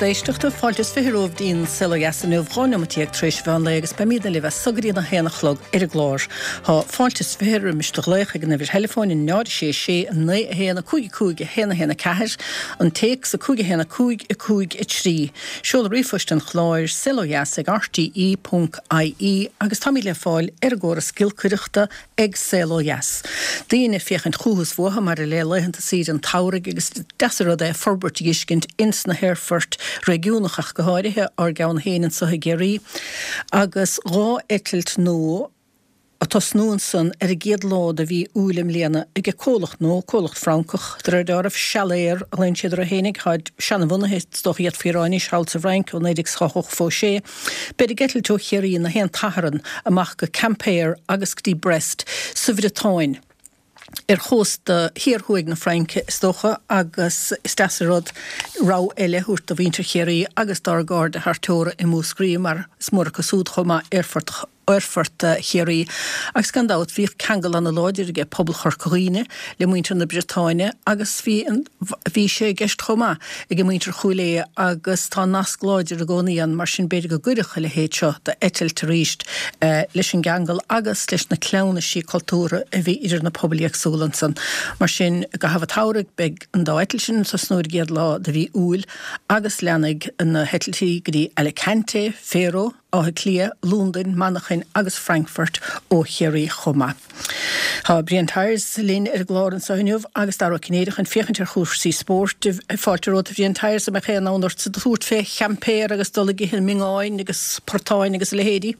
lucht éisteachta. Fáilte is 20 romhaibh dtí'n Saol Ó Dheas inniu, 12 neomat tar éis an mheán lae agus beimídne libh as so go dtí an 1 a chlog ar an gclár. Tá fáilte is 20 roimis do ghlaoch ag an uimhir theileafóin 0 6 6 9 1 5 5 1 1 4, an téacs 5 1 5 5 3. Seoladh ríomhphoist an chláir, saolodheas ag rte ponc ie agus táimid le fáil ar an gcóras giolcaireachta ag Saol Ó Dheas. Daoine ag féachaint chúthu is uathu maidir le laethanta saoire an tsamhraidh agus is deas an rud é forbairt a dh'fheiscint ins na haerfoirt réigiúnacha ach go háirithe, ár gceann féin anso i gCiarraí, agus 2 eitilt nua a' tosnú ansan ar an gcéad lá de mhí Iúil i mbliana ag comhlacht nua, comhlacht Francach de réir dealraimh, Salair a ghlaonn siad orthu fhéinig, táid seanabhunaithe is dócha d'fhéadfaí a rá anois thall sa bhFrainc ó 1986. Beid ag eitilt ó Chiarraí na haon tSatharn amach go Quimper agus go dtí Brest sa Bhriotáin, ar chósta thiar thuaidh na Fraince is dócha, agus is deas an rud rogha eile a thabhairt do mhuintir Chiarraí agus dár gcairde thar teora i Múscraí mar is mór acu súd chomh maith aerfort aerfort Chiarraí agus gan dabht bhíodh ceangal ana láidir aige pobal Chorca Dhuibhne le muintir na Briotáine agus bhí an bhí sé i gceist chomh maith ag muintir Chúil Aodha agus tá nasc láidir i gcónaí ann mar sin b'fhéidir go gcuirfeadh a leithéid seo d'eitilt arís leis an gceangal agus leis na cleamhnaisí cultúrtha a bhí idir na pobail éagsúla ansan. Mar sin i gcaitheamh an tsamhraidh beidh an dá eitilt sin ag tosnú ar an gcéad lá de mhí Iúil agus leanfaidh na heitiltí go dtí Alicante, Faro, Áth Cliath, Londain, Manchain agus Frankfurt ó Chiarraí chomh maith. Tá Brian Tyers linn ar an gclár anseo inniu agus Dara Ó Cinnéide chun féachaint ar chúrsaí spóirt. Fáilte romhat a Bhriain Tyers, an mbeadh aon fhonn ortsa tabhairt fé Quimper agus dul ag ithe miongáin agus portáin agus a leithéidí?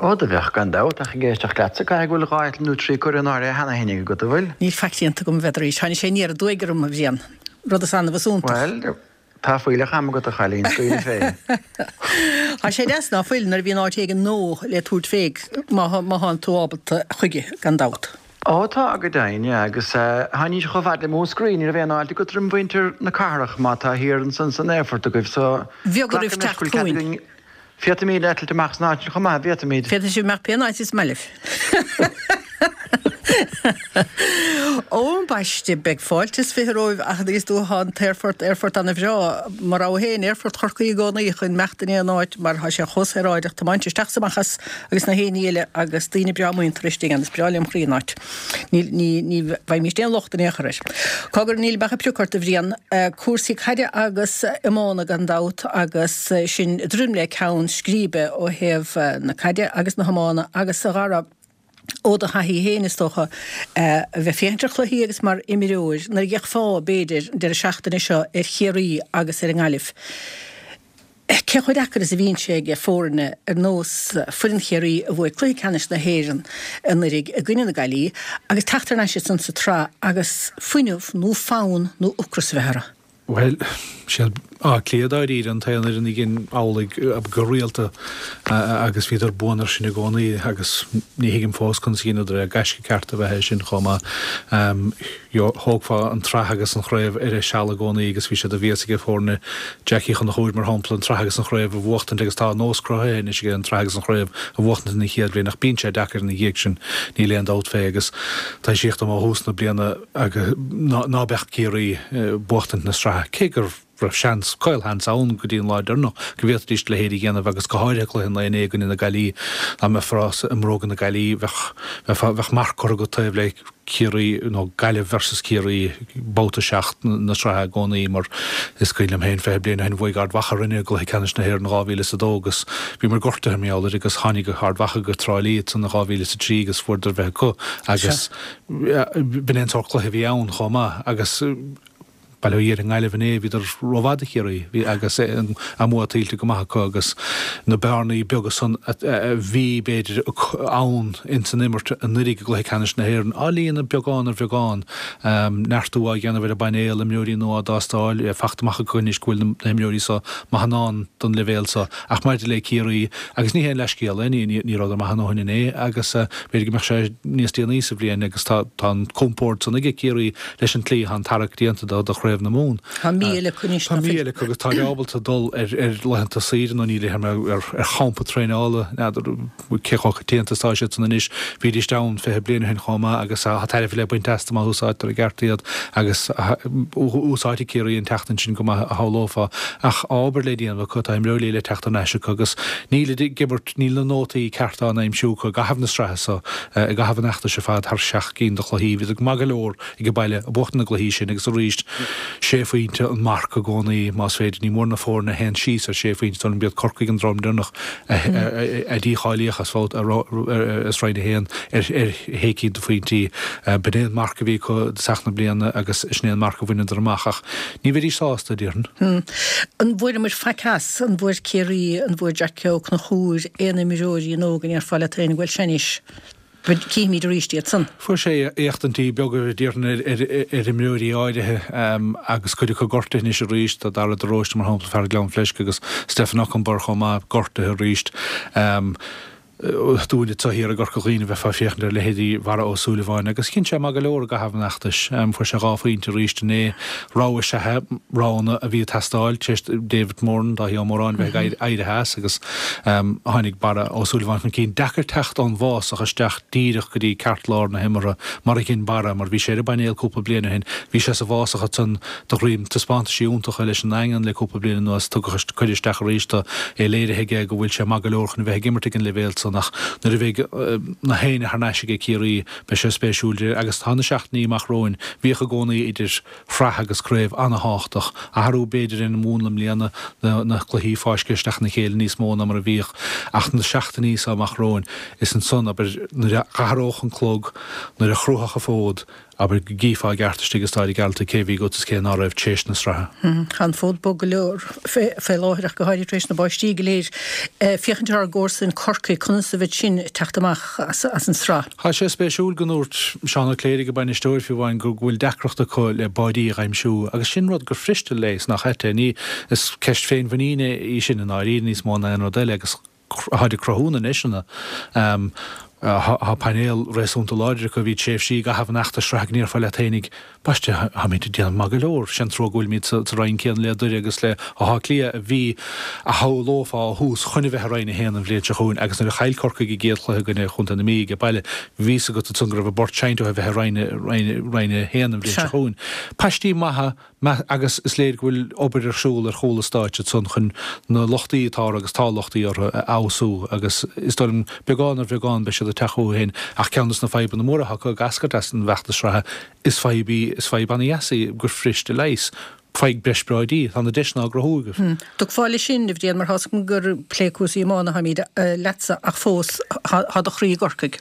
Ó, do bheadh, gan dabht, ach ag éisteacht leatsa, caithfidh go bhfuil 2 eitilt nó 3 curtha in áirithe cheana féin agat, an bhfuil? Níl faic déanta agam, n'fheadar arís. Tháinig sé aniar aduaidh orm, a Bhriain. Rud is annamh is iontach. Bhuel, Tá fuílleach ama agat a chailín, scaoil fé. Tá sé deas ná fuil nuair a bhíonn áit éigin nua le tabhairt fé má thánn tú ábalta chuige gan dabht. Ó tá, go deimhin, yeah, agus tháinís chomh fada le Múscraí, ní raibh aon fháilte agat roim mhuintir na cathrach má tá thiar ansan san aerfort agaibh so Bheag oraibh glacaim leis teacht go bhfuil cead chugainn. againn, Féadfaimid eitilt amach san áit sin chomh maith, bhféadfaimid. Féadfaidh sibh imeacht pé áit is maith libh. Ó, ambaiste, beidh fáilte is 20 romhaibh ach is dóigh tá an t-aerfort, aerfort ana-bhreá. Mo rogha féin, aerfort Chorcaí i gcónaí chun imeacht in aon áit mar tá sé chomh saoráideach tiomáint isteach is amach as agus na haon ní eile agus daoine breá muinteartha istigh ann. Is breá lem chroí an áit. Ní, ní, ní bhfaighimíst aon locht in aon chor air. Cogar, níl ach ag prioc ort, a Bhriain. Cúrsaí caide agus iomána gan dabht agus sinn druidim le ceann scríbe ó thaobh na caide agus na hiomána agus a Dhara, ó do thaithí féin is dócha, a bheith ag féachaint ar chluichí agus mar imreoir, nuair a d'fhéachfá, b'fhéidir, an deireadh seachtaine seo ar Chiarraí agus ar an nGaillimh. Cé chomh deacair is a bhíonn sé ag foirne ar nós foireann Chiarraí a bhuaigh cluiche ceannais na hÉireann anuraidh i gcoinne na Gaillimhe agus teacht thar n-ais ansan sa tsraith agus fuinneamh nó fonn nó ocras a bheith orthu? Bhuel, siad Áth Cliath dáiríre an t-aon fhoireann a dhein amhlaidh go rialta agus bhíodar buan air sin i gcónaí agus ní thuigim fós conas a dheineadar é. Gaisce ceart ab ea é sin chomh maith. Thógfá an tsraith agus an chraobh ar a seal i gcónaí agus bhí sé de mhias ag foirne Jackie Uí Chonchúir, mar shampla, an tsraith agus an chraobh a bhuachtaint agus tá nós cruthaithe anois aige an tsraith agus an chraobh a bhuachtaint ina chéad bhliain ach bíonn sé deacair ina dhiaidh sin, níl aon dabht fé agus taibhsíodh dom ó thús na bliana ná beadh Ciarraí buachtaint na sraithe cé go raibh seans, caolsheans ann go dtí an lá deireanach go bhféadfaidís a leithéid a dhéanamh agus go háirithe cluiche an lae inné i gcoinne na Gaillimhe. Dá mbeifeá i mbróga na Gaillimhe bheadh, bheifeá, bheadh marc curtha agat taobh le Ciarraí nó Gaillimh versus Ciarraí babhta 7 na sraithe i gcónaí mar is cuimhin liom féin 20 bliain ó shin bhuaigh Ard Mhacha orainne i gcluiche ceannais na hÉireann 2002 agus bhíomar gortaithe mar gheall air agus tháinig Ard Mhacha go Trá Lí ansan in 2003 agus fuaireadar bheith acu agus b'in é an sórt cluiche a bhí ann chomh maith agus Bail ó Dhia ar an nGaillimh inné, bhíodar rómhaith do Chiarraí, bhí agus a mbua tuillte go maith acu agus na bearnaí beaga san a bhí, b'fhéidir, ann ins an imirt anuraidh i gcluiche ceannais na hÉireann á líonadh beagán ar bheagán. Neartú á dhéanamh ar an bpainéal, imreoirí nua á dtástáil, fachta amach acu anois go bhfuil na himreoirí so maith in ann don leibhéal so. Ach maidir le Ciarraí, agus ní haon leathscéal é, ní rabhadar maith a ndóthain inné agus b'fhéidir go mbeadh sé níos déanaí sa bhliain agus tá an compord san aige Ciarraí leis an tslí atá an tarrac déanta do Chraobh. Chraobh na Mumhan. Tá mí eile acu anois. Tá mí eile acu agus táid ábalta dul ar laethanta saoire nó níl ar champa traenála, n'fheadar cé chomh coitianta is atá siad san anois. Bhídís ann 20 bliain ó shin chomh maith agus tá tairbhe le baint astu má úsáidtear i gceart iad agus úsáidfidh Ciarraí an tseachtain sin go maith a shamhlófá. Ach obair le déanamh acu, tá imreoirí le teacht thar n-ais acu agus nílid ag imirt, níl na nótaí cearta á n-aimsiú acu i gcaitheamh na sraithe so, i gcaitheamh an fheachtais ar fad thar sheacht gcinn de chluichí. Bhíodar go maith go leor ag baile ag buachtaint na gcluichí sin agus arís sé phointe an marc i gcónaí más féidir. Ní mór na foirne a théann síos ar sé phointe, dóigh liom b'iad Corcaigh an dream deireanach a dícháilíodh as as Roinn 1 ar shé cinn de phointí. B'in é an marc a bhí acu i dtosach na bliana agus sin é an marc a bhaineadar amach ach ní bheidís sásta, déarfainn. An bhfuaireamar faic as? An bhfuair Ciarraí, an bhfuair Jackie Ó Conchúir aon imreoirí nua go ndéarfá leat féin bhuel sea anois? Cífimid arís iad san. Fuair sé éachtaintí beaga, déarfainn, ar imreoirí áirithe agus cuid acu gortaithe anois arís. Tá Dara de Róiste, mar shampla, fear Ghleann Fleisce agus Stephen Okunbor chomh maith, gortaithe arís. Dúinne anseo thiar i gCorca Dhuibhne bheifeá ag féachaint ar leithéidí Bharra Ó Súilleabháin agus dhein sé maith go leor i gcaitheamh an fheachtais. Fuair sé 2 phointe arís inné. Rogha is ea é, roghanna a bhí ag teastáil tar éis David Moran, Dáithí Ó Móráin, a bheith ag éirithe as agus tháinig Barra Ó Súilleabháin chun cinn. Deacair teacht ón bhfásach isteach díreach go dtí ceartlár na himeartha mar a dhein Barra, mar bhí sé ar an bpainéal cúpla bliain ó shin. Bhí sé sa bhfásach ansan de dhroim taispeántaisí iontacha leis an nDaingean le cúpla bliain anuas. Tugadh, cuireadh isteach arís do, é léirithe aige go bhfuil sé maith go leor chun a bheith ag imirt ag an leibhéal san ach nuair a bheidh na héinne thar n-ais aige Ciarraí beidh sé spéisiúil agus tá na seachtainí amach romhainn. Bhíodh i gcónaí idir shraith agus craobh an-thábhachtach. Athrú, b'fhéidir, ar an mhúnla i mbliana, na cluichí fáiscthe isteach ina chéile níos mó ná mar a bhíodh, ach na seachtainí seo amach romhainn, is ansan, abair, nuair a athródh an clog, nuair a chruafadh an fód, abair, go gcífeá i gceart istigh i Staid an Ghearaltaigh cé a bhí agat is cé ná raibh tar éis na sraithe. Tá an fód bog go leor fé láthair ach go háirithe tar éis na báistí go léir. Féachaint ar ár gcomharsain Corcaigh, conas a bheidh sin ag teacht amach as an sraith? Tá sé spéisiúil go ndúirt Seán Ó Cléirigh, a bainisteoir, fiú amháin, go bhfuil deacracht acu le báidí a aimsiú agus sin rud gur fuiriste leigheas nach ait é. Ní, is ceist féinmhuiníne í sin i ndáiríre níos mó ná aon rud eile agus táid ag cruthú na ndeiseanna. Tá painéal réasúnta láidir acu. Bhí tréimhsí i gcaitheamh an fheachtais sraithe go ndéarfá leat fhéinig, Baiste, táimid ag déanamh maith go leor. Sé an trua go bhfuilimid sa roinn céanna le Doire agus le hÁth Cliath a bhí, a shamhlófá ó thús, chun a bheith i Roinn 1 an bhliain seo chugainn agus nuair a chaill Corcaigh a gcéad chluiche i gcoinne Chontae na Mí age baile, bhí fhios agat ansan go raibh an bport seinnte ó a bheith i Roinn, Roinn 1 an bhliain seo chugainn. Paistí maithe agus is léir go bhfuil obair ar siúl ar chúl an stáitse ansan chun na lochtaí atá orthu, agus tá lochtaí orthu, a fheabhsú agus is dóigh liom beagán ar bheagán beidh siad ag teacht chucu féin ach ceann des na fadhbanna móra atá acu ag eascairt as an bhfeachtas sraithe Is fadhb í, is fadhb ana-dheas í gur fuiriste leigheas. Faigh breis báidí, tá na deiseanna á gcruthú agaibh. Dtiocfá leis sin, a Bhriain, mar tá's agam gur ag plé cúrsaí iomána atáimid leatsa ach fós tá do chroí i gCorcaigh.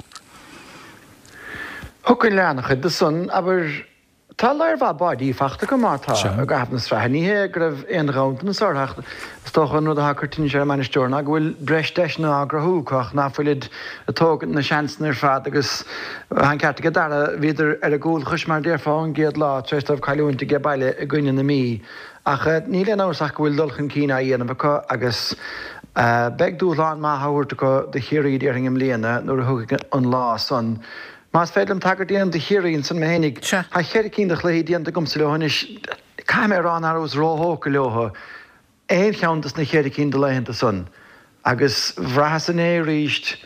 Thiocfainn le an-chuid de san, abair. Tá lear mhaith báidí fachta acu má tá, i gcaitheamh na sraithe. Ní hé go raibh aon ghanntanas orthu ach is dócha an rud atá ag cur tinnis ar an mbainisteoir ná go bhfuil breis deiseanna á gcruthú acu ach ná fuilid ag tógaint na seansanna ar fad agus Tá an ceart aige Dara, bhíodar ar a gcúlchois mar a déarfá ón gcéad lá tar éis dóibh cailliúint age baile i gcoinne na Mí. Ach níl aon amhras ach go bhfuil dul chun cinn á dhéanamh acu agus beidh dúshlán maith á thabhairt acu do Chiarraí déarfainn i mbliana nuair a thiocfaidh an lá san. Más féidir liom tagairt a dhéanamh do Chiarraí ansan mé fhéinig, tá cheithre cinn de chluichí déanta agamsa leo anois. Caithfidh mé a rá nach rabhas róthógtha leo. aon cheann dos na cheithre cinn de laethanta san. Agus bhraitheas inné arís,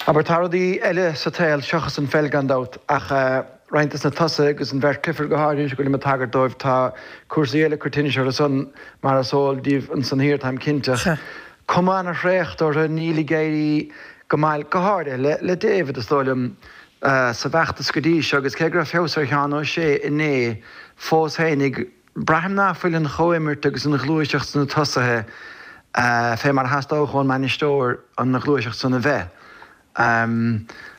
abair, tá rudaí eile sa tsaol seachas an pheil gan dabht, ach roinnt dos na tosaithe agus an bheirt Clifford go háirithe anois go bhfuilim ag tagairt dóibh, tá cúrsaí eile ag cur tinnis orthu san mar is eol daoibh ansan thiar, táim cinnte. Ach cuma ana-thraochta orthu, níl ag éirí go maith, go háirithe le David, is dóigh liom, sa bhfeachtas go dtí seo agus cé go raibh feabhas ar Sheán Ó Sé inné, fós fhéinig, Braithim ná fuil an chomhimirt agus an ghluaiseacht sna tosaithe fé mar a theastódh ón mbainisteoir an ghluaiseacht san a bheith.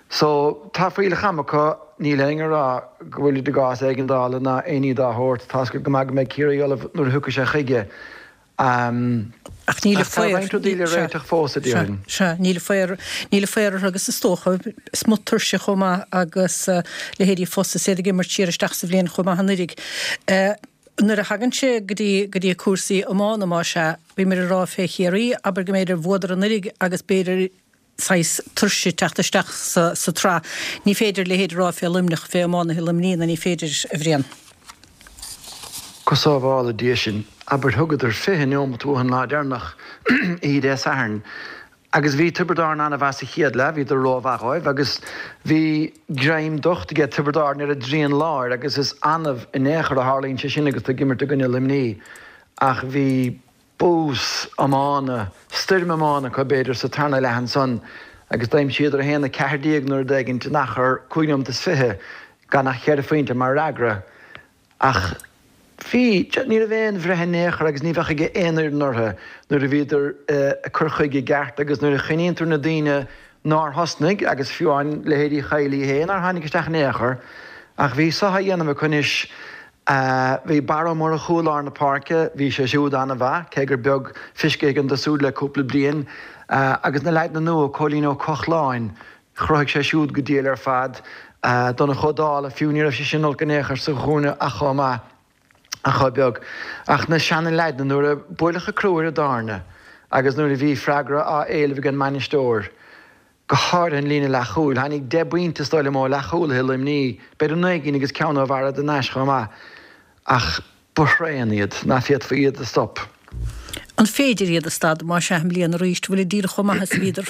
So, tá fuílleach ama acu, níl éinne ag rá go bhfuilid i gcás éigeandála ná aon ní dá shórt. Tá's agat go maith go mbeidh Ciarraí ullamh nuair a thiocfaidh sé chuige. Ach níl a Tá roinnt rudaí le réiteach fós, a déarfainn. Sea, níl a faor, níl a faor orthu agus is dócha, is mó tuirse chomh maith agus leithéidí Fossa is iad ag imirt siar isteach sa bhliain chomh maith anuiridh. Nuair a thagann sé go dtí, go dtí cúrsaí iomána, más ea, bhíomar ag rá fé Chiarraí, abair go mb'fhéidir bhuadar anuiridh agus b'fhéidir saghas tuirse teacht isteach sa tsraith. Ní féidir a leithéid a rá fé Luimneach, fé iománaithe Luimnigh, nó ní féidir, a Bhriain. Go sábhála Dia sinn, abair thugadar 20 neomat uathu an lá deireanach, oíche Dé Sathairn, agus bhí Tiobraid Árann an-mhaith sa chéad leath, bhíodar rómhaith dhóibh agus bhí greim docht aige Tiobraid Árann ar a dtrian láir agus is annamh in aon chor a tharlaíonn sé sin agus tú ag imirt i gcoinne Luimní ach bhí bús iomána, stoirm iomána acu b'fhéidir sa tarna leath ansan agus d'aimsíodar 1-14 nó rud éigint in achar cúig neomat is 20 gan ach cheithre phointe mar fhreagra. Ach bhí, ní raibh aon bhreith in aon chor agus ní bheadh ag aon fhoireann orthu nuair a bhíodar ag cur chuige i gceart agus nuair a choinníonn tú na daoine nár thosnaigh agus fiú amháin leithéidí Kiely féin nár tháinig isteach in aon chor. Ach bhí so á dhéanamh acu anois. Bhí Barra Ó Murchú i lár na páirce, bhí sé siúd an-mhaith, cé gur beag feiscithe againn de siúd le cúpla bliain. Agus na leaideanna nua, Cóilín Ó Cochláin, Chruthaigh sé siúd go diail ar fad. Donncha Ó Dálaigh, fiú, ní raibh sé sin olc in aon chor sa chúinne ach chomh maith, ach chomh beag. Ach na seana-leaideanna, nuair a buaileadh an crú ar an dtairne agus nuair a bhí freagra á éileamh ag an mbainisteoir, go háirithe an líne leathchúil, tháinig deich bpointe is dóigh liom ó leathchúlaithe Luimní, b'fhéidir naoi gcinn agus ceann ó Bharra de Nais chomh maith. Ach ba thréan iad, ná féadfaí iad a stop. An féidir iad a stad, más ea, i mbliana arís? Bhfuilid díreach chomh maith is a bhíodar?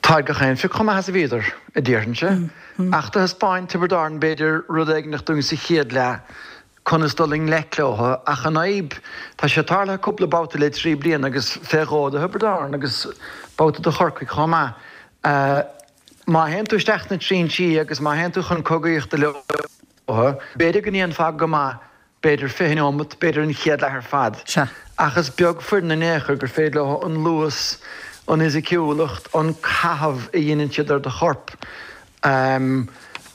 Táid gach aon phioc chomh maith is a bhíodar, a déarfainnse. Ach do thaispeáin Tiobraid Árann b'fhéidir rud éigineach dúinn sa chéad leath conas dul i ngleic leo. Ach an fhadhb, tá sé tarlaithe cúpla babhta le 3 bliana agus fé dhó do Thiobraid Árann agus babhta do Chorcaigh chomh maith. Má théann tú isteach sna trinsí agus má théann tú chun cogaíochta leo, b'fhéidir go ndéanfá go maith b'fhéidir 20 neomat, b'fhéidir an chéad leath ar fad. Sea. Ach is beag foireann in aon chor gur féidir leo an luas, an fhisiciúlacht, an caitheamh a dheineann siad ar do chorp,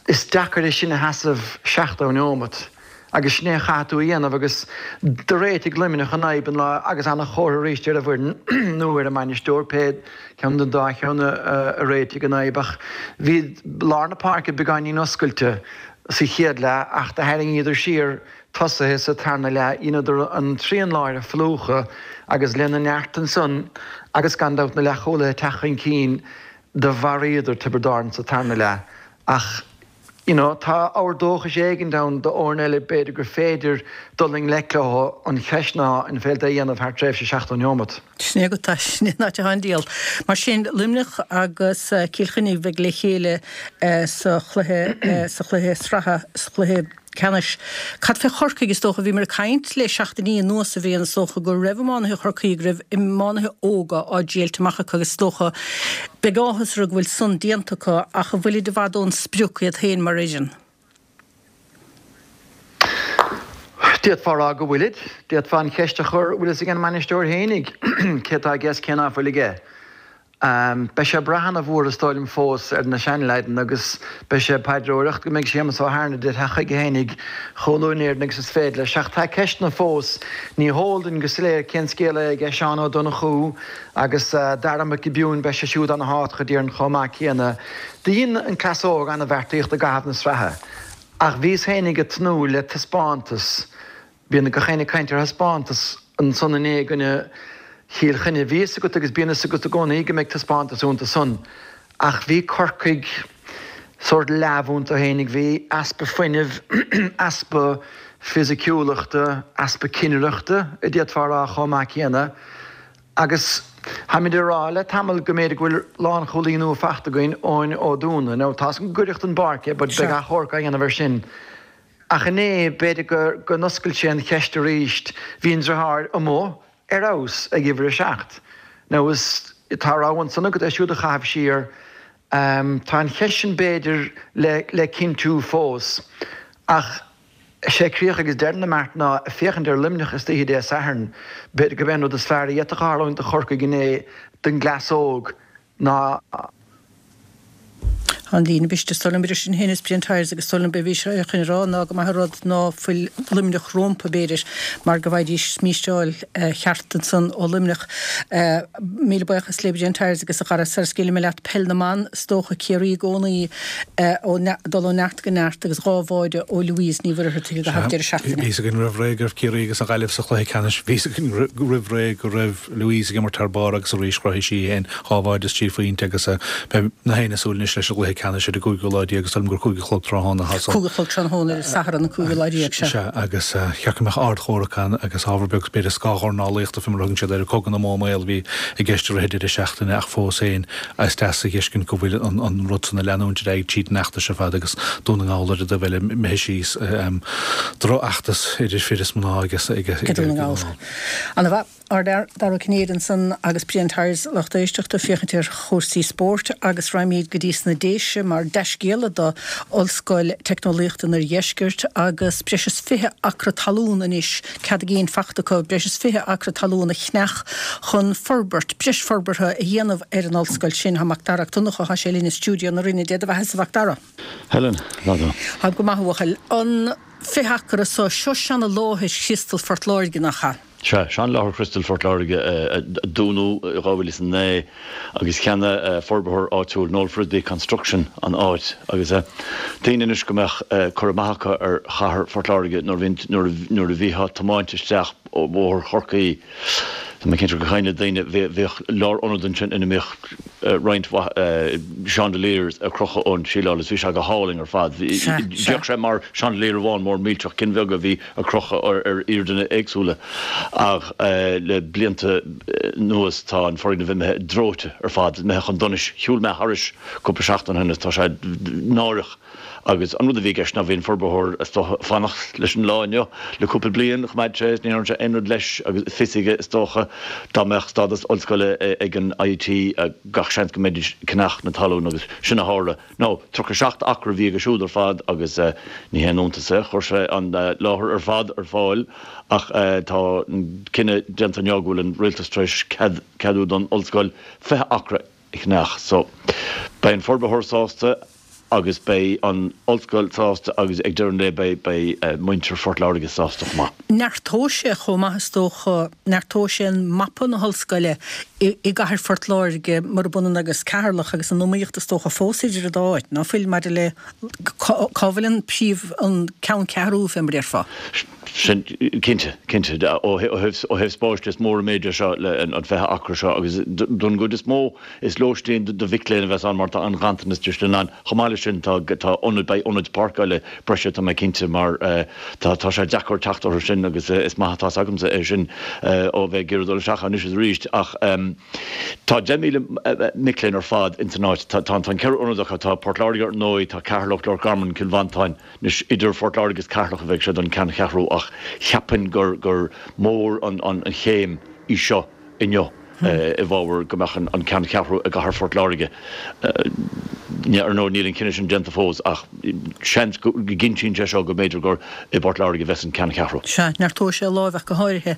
is deacair é sin a sheasamh 70 neomat. Agus sin é a chaithfidh tú a dhéanamh agus do réitigh Luimneach an fhadhb an lá agus ana-chomhartha arís ar an bhfoireann nó ar an mbainisteoir, pé ceann den dá cheann a réitigh an fhadhb. Ach bhí lár na páirce beagáinín oscailte. sa chéad leath ach do tharraingíodar siar tosaithe sa tarna leath, dheineadar an trian láir a phlúchadh agus lena neart ansan agus gan dabht na leathchúlaithe ag teacht chun cinn do mharaíodar Tiobraid Árann sa tarna leath ach you know tá abhar dóchais éigint ann do fhoirne eile b'fhéidir gur féidir dul i ngleic leo, an cheist ná an féidir é a dhéanamh thar tréimhse 70 neomat. Sin é agat é, sin é an áit atá an diabhal. Mar sin, Luimneach agus Cill Chainnigh a bheidh le chéile sa chluiche, sa chluiche sraithe, sa chluiche ceannais. Cad fé Chorcaigh? Is dócha, bhíomar ag caint le seachtainí anuas, a Bhriain, is dócha go raibh iománaithe Chorcaí, go raibh iománaithe óga á dtriailt amach acu agus is dócha, beidh áthas orthu go bhfuil san déanta acu ach an bhfuilid i bhfad ón sprioc iad féin mar fhoireann? D'fhéadfá a rá go bhfuilid. D'fhéadfá an cheist a chur, bhfuil fhios ag an mbainisteoir fhéinig cé atá aige is cé ná fuil aige? Beidh sé ag brath ana-mhór is dóigh liom fós ar na seanleaideanna agus beidh sé ag paidreoireacht go mbeidh Séamus Ó hAirnide ag teacht chuige fhéinig chomh luath in Éirinn agus is féidir leis. Ach tá ceisteanna fós. Ní heol duinn go soiléir cén scéal é aige Seán Ó Donnchú agus Dara Mac Giobúin, beidh sé siúd ana-thábhachtach déarfainn chomh maith céanna. Do dhein an cleas óg ana-bheartaíocht i gcaitheamh na sraithe ach bhíos féinig ag tnúth le taispeántas, bíonn gach éinne ag caint ar thaispeántas ansan inné i gcoinne Chill Chainnigh. Bhí fhios agat agus bíonn fhios agat i gcónaí go mbeidh taispeántas iontu san ach bhí Corcaigh sórt leamh iontu féinig, bhí easpa fuinnimh, easpa fisiciúlachta, easpa cinnireachta a d'fhéadfá a rá chomh maith céanna. Agus táimid ag rá le tamall go mb'fhéidir go bhfuil lánchúlaí nua fachta againn, Eoin Ó Dúna. Now, tá's agam gur gaireacht don bpáirc é but beidh achomharc á dhéanamh air sin. Ach inné, b'fhéidir go go n-oscail sé an cheist arís. Bhí an driotháir amuigh ar fheabhas ag uimhir a 7. Now, is tá rogha ansan agat é siúd a chaitheamh siar. Tá an cheist sin b'fhéidir le le cinntiú fós. Ach. Is é críoch agus deireadh na mbeart ná féachaint ar Luimneach istoíche Dé Sathairn. B'fhéidir gurb é an rud is fearr a d'fhéadfadh tarlúint do Chorcaigh inné don gcleas óg ná. An líne briste is dóigh liom idir sinn féin is Brian Tyers agus is dóigh liom b'é bhí sé chun a rá ná go maith an rud ná fuil Luimneach rómpa b'fhéidir mar go bhfaighidís smísteáil cheart ansan ó Luimneach. Míle buíochas le Brian Tyers agus a chara sara scaoilfidh mé leat Peil na mBan is dócha Ciarraí i gcónaí ag dul ó neart go neart agus dhá bháide ó Louise Ní Mhuircheartaigh i gcaitheamh deireadh seachtaine. Bhí fhios againn roimh ré go raibh Ciarraí agus an Ghaillimh sa chluiche ceannais. Bhí fhios againn roimh ré go raibh Louise ag imirt thar barr agus arís chruthaigh sí féin dhá bháide is trí phointe agus beidh gach éinne ag súil anois leis an gcluiche ceannais. ceannais ar an gcúigiú lá déag, is dóigh liom gur 5 a chlog tráthnóna atá san. 5 a chlog tráthnóna ar an Satharn an cúigiú lá déag, sea. Sea, agus cheart go mbeadh ardchomhrac ann agus ábhar beag b'fhéidir scáthdhornálaíochta fé mar a thugann siad air, cogadh na mbó maol a bhí i gceist i rith an deireadh seachtaine ach fós féin is deas a dh'fheiscint go bhfuil an rud san ag leanúint ar aghaidh tríd an fheachtas ar fad agus Dún na nGall ar an dtaobh eile imithe síos. Drochfheachtas idir fir is mná ag Dún na nGall. Ana-mhaith. Ár bhfear Dara Ó Cinnéide ansan agus Brian Tyers lucht éisteachta ag féachaint ar chúrsaí spóirt agus raghaimid go dtí sna Déise mar dea-scéala do Ollscoil Teicneolaíochta an Oirdheiscirt agus breis is 20 acra talún anois cead a gcinn fachta acu breis is 20 acra talún a cheannach chun forbairt, breis forbartha a dhéanamh ar an ollscoil sin. Tá Macdara Mac Donncha, tá sé linn i stiúideo na Rinne. Dé do bheatha-sa, a Mhacdara. Helen, lá dó. Táim go maith, a bhuachaill. An 20 acra so, seo seana-láthair Chriostal Phort Láirge, nach ea? Sea, seanláthair Chriostal Phort Láirge a dúnadh i 2009 agus cheannaigh forbarthóir áitiúil Noel Frisby Construction an áit agus daoine anois go mbeadh cur amach acu ar chathair Phort Láirge nuair a bhítheá ag tiomáint isteach ó Bhóthar Chorcaí Tá mé cinnte gur cuimhin le daoine bhíodh lárionad ansin ina mbíodh roinnt mhaith chandeliers ar crochadh ón síleáil is bhí sé go hálainn ar fad. D'fhéach sé mar chandelier amháin mór millteach, cinn bheaga a bhí ar crochadh ar airdeanna éagsúla ach le blianta anuas tá an foirgneamh imithe dreoite ar fad, imithe chun donais. Shiúil mé thairis cúpla seachtain ó shin is tá sé náireach. Agus an rud a bhí i gceist ná bhí an forbarthóir is dócha ag fanacht leis an lá inniu le cúpla bliain, choimeád sé is ní dhearna sé aon rud leis agus fios aige is dócha dá mbeadh stádas ollscoile ag an IIT gach seans go mbeidís ag ceannach na talún agus sin a tharla. Now 37 acra a bhí aige siúd ar fad agus ní haon iontas é, chuir sé an láthair ar fad ar fáil ach tá an cinneadh déanta inniu go bhfuil an rialtas tar éis ceadú don ollscoil 20 acra a cheannach. So beidh an forbarthóir sásta agus beidh an ollscoil sásta agus ag deireadh an lae beidh beidh muintir Phort Láirge sásta chomh maith. Neartóidh sé chomh maith is dócha, neartóidh sé an mapa na hollscoile i i gcathair Phort Láirge murab ionann agus Ceatharlach agus an iomaíocht is dócha fós idir an dá áit, ná fuil, maidir le cá cá bhfuil an príomh an ceanncheathrú fé mar a déarfá. Sin, cinnte, cinnte. Ó thaobh ó thaobh spáis de is mór an méid é seo le an 20 acra seo agus don gcuid is mó is lóistín do mhic léinn a bheas ann mar tá an-ghanntanas de sin ann. Chomh maith leis sin tá tá ionad beidh ionaid páirceála breise tá mé cinnte mar tá tá sé deacair teacht orthu sin agus is maith atá 's agamsa é sin ó bheith ag iarraidh dul isteach anois is arís ach tá 10,000 mic léinn ar fad ins an áit. Tá tá an ceithre ionad acu tá Port Láirge ar ndóigh tá Ceatharlach, Loch Garman, Cill Mhantáin. Anois, idir Phort Láirge is Ceatharlach a bheidh sé don ceanncheathrú ach cheapfainn gur gur mór an chéim í seo inniu i bhfabhar go mbeadh an ceanncheathrú i gcathair Phort Láirge. Ar ndóigh, níl an cinneadh sin déanta fós ach seans go gcinntíonn sé seo go mb'fhéidir gur i bPort Láirge a bheas an ceanncheathrú. Sea, neartóidh sé a láimh ach go háirithe.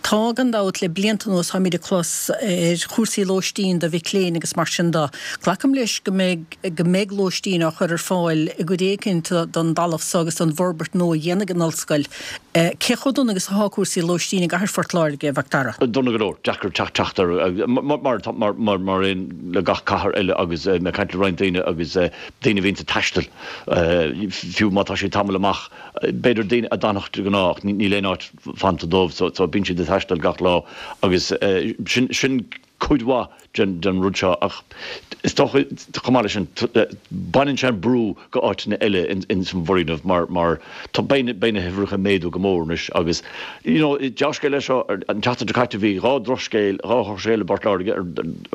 Tá, gan dabht, le blianta anuas táimid ag clos ar chúrsaí lóistín do mhic léinn agus mar sin de. Glacaim leis go mbeidh. go mbeidh lóistín á chur ar fáil i gcuid éicint den dtalamh so agus den bhforbairt nua a dhéanfaidh an Ollscoil. Cé chomh dona agus atá cúrsaí lóistín i gcathair Phort Láirge, a Mhacdara? Dona go leor. Deacair teacht teacht air, mar mar mar aon le gach cathair eile agus mé ag caint le roinnt daoine agus daoine a bhíonns ag taisteal, fiú má tá siad tamall amach, b'fhéidir daoine a d'fhanfadh de ghnáth ach níl aon áit fanta dóibh so so bíonn siad ag taisteal gach lá agus sin sin cuid mhaith den rud seo ach is dócha chomh maith leis sin baineann sé an brú go áiteanna eile ins an bhfoirgneamh mar mar tá beidh beidh na huimhreacha ag méadú go mór anois agus you know dea-scéal é seo an tseachtain seo caite bhí dhá dhrochscéal dhá dhrochscéal i bPort Láirge ar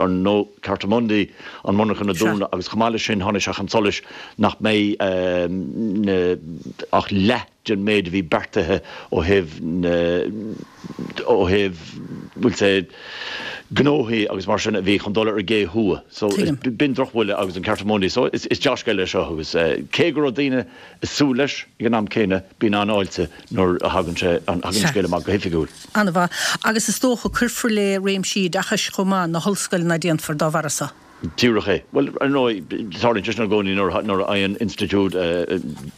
ar ndóigh Cartamundi an monarchan a dúnadh agus chomh maith leis sin tháinig sé chun solais nach mbeidh na ach leath den méid a bhí beartaithe ó thaobh na, ó thaobh, bhfuil sé, gnóthaí agus mar sin a bhí chun dul ar an gcé thuaidh. So b'in drochbhuille agus an Cartamundi. So is dea-scéal é seo agus cé go raibh daoine ag súil leis ag an am céanna, bíonn an-fháilte nuair a thagann sé, thagann an scéal amach go hoifigiúil. An-mhaith. Agus is dócha cuirfear le réimsí oideachais chomh maith, na hollscoileanna déanfar dá bharra so. Díreach é. Bhuel, ar ndóigh, tarlaíonn sé sin i gcónaí nuair a fhaigheann institiúid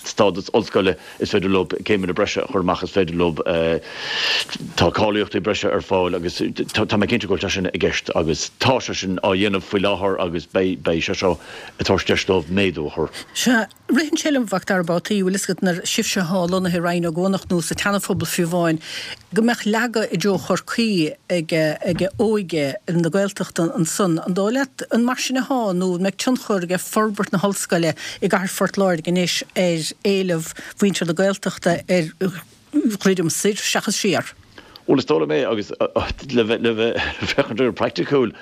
stádas ollscoile, is féidir leo céimeanna breise a chur amach, is féidir leo, tá cáilíochtaí breise ar fáil agus tá mé cinnte go bhfuil sé sin i gceist agus tá sé sin á dhéanamh faoi láthair agus beidh sé seo ag tabhairt deis dóibh méadú a chur. Sea. Ritheann sé liom, a Mhacdara babhtaí, bhfuil fhios agat, nuair sibhse athá lonnaithe i Rinn Ó gCuanach nó sa tSeana-Phobal fiú amháin, go mbeadh leagadh i dtreo Chorcaí ag ag óige na Gaeltachta ansan. An dóigh leat, an mar. mar sin athá nó an mbeidh tionchar aige forbairt na hollscoile i gcathair Phort Láirge anois ar éileamh mhuintir na Gaeltachta ar dhruidim soir seachas siar? Bhuel, is dóigh liom é, agus le bheith féachaint air praiticiúil,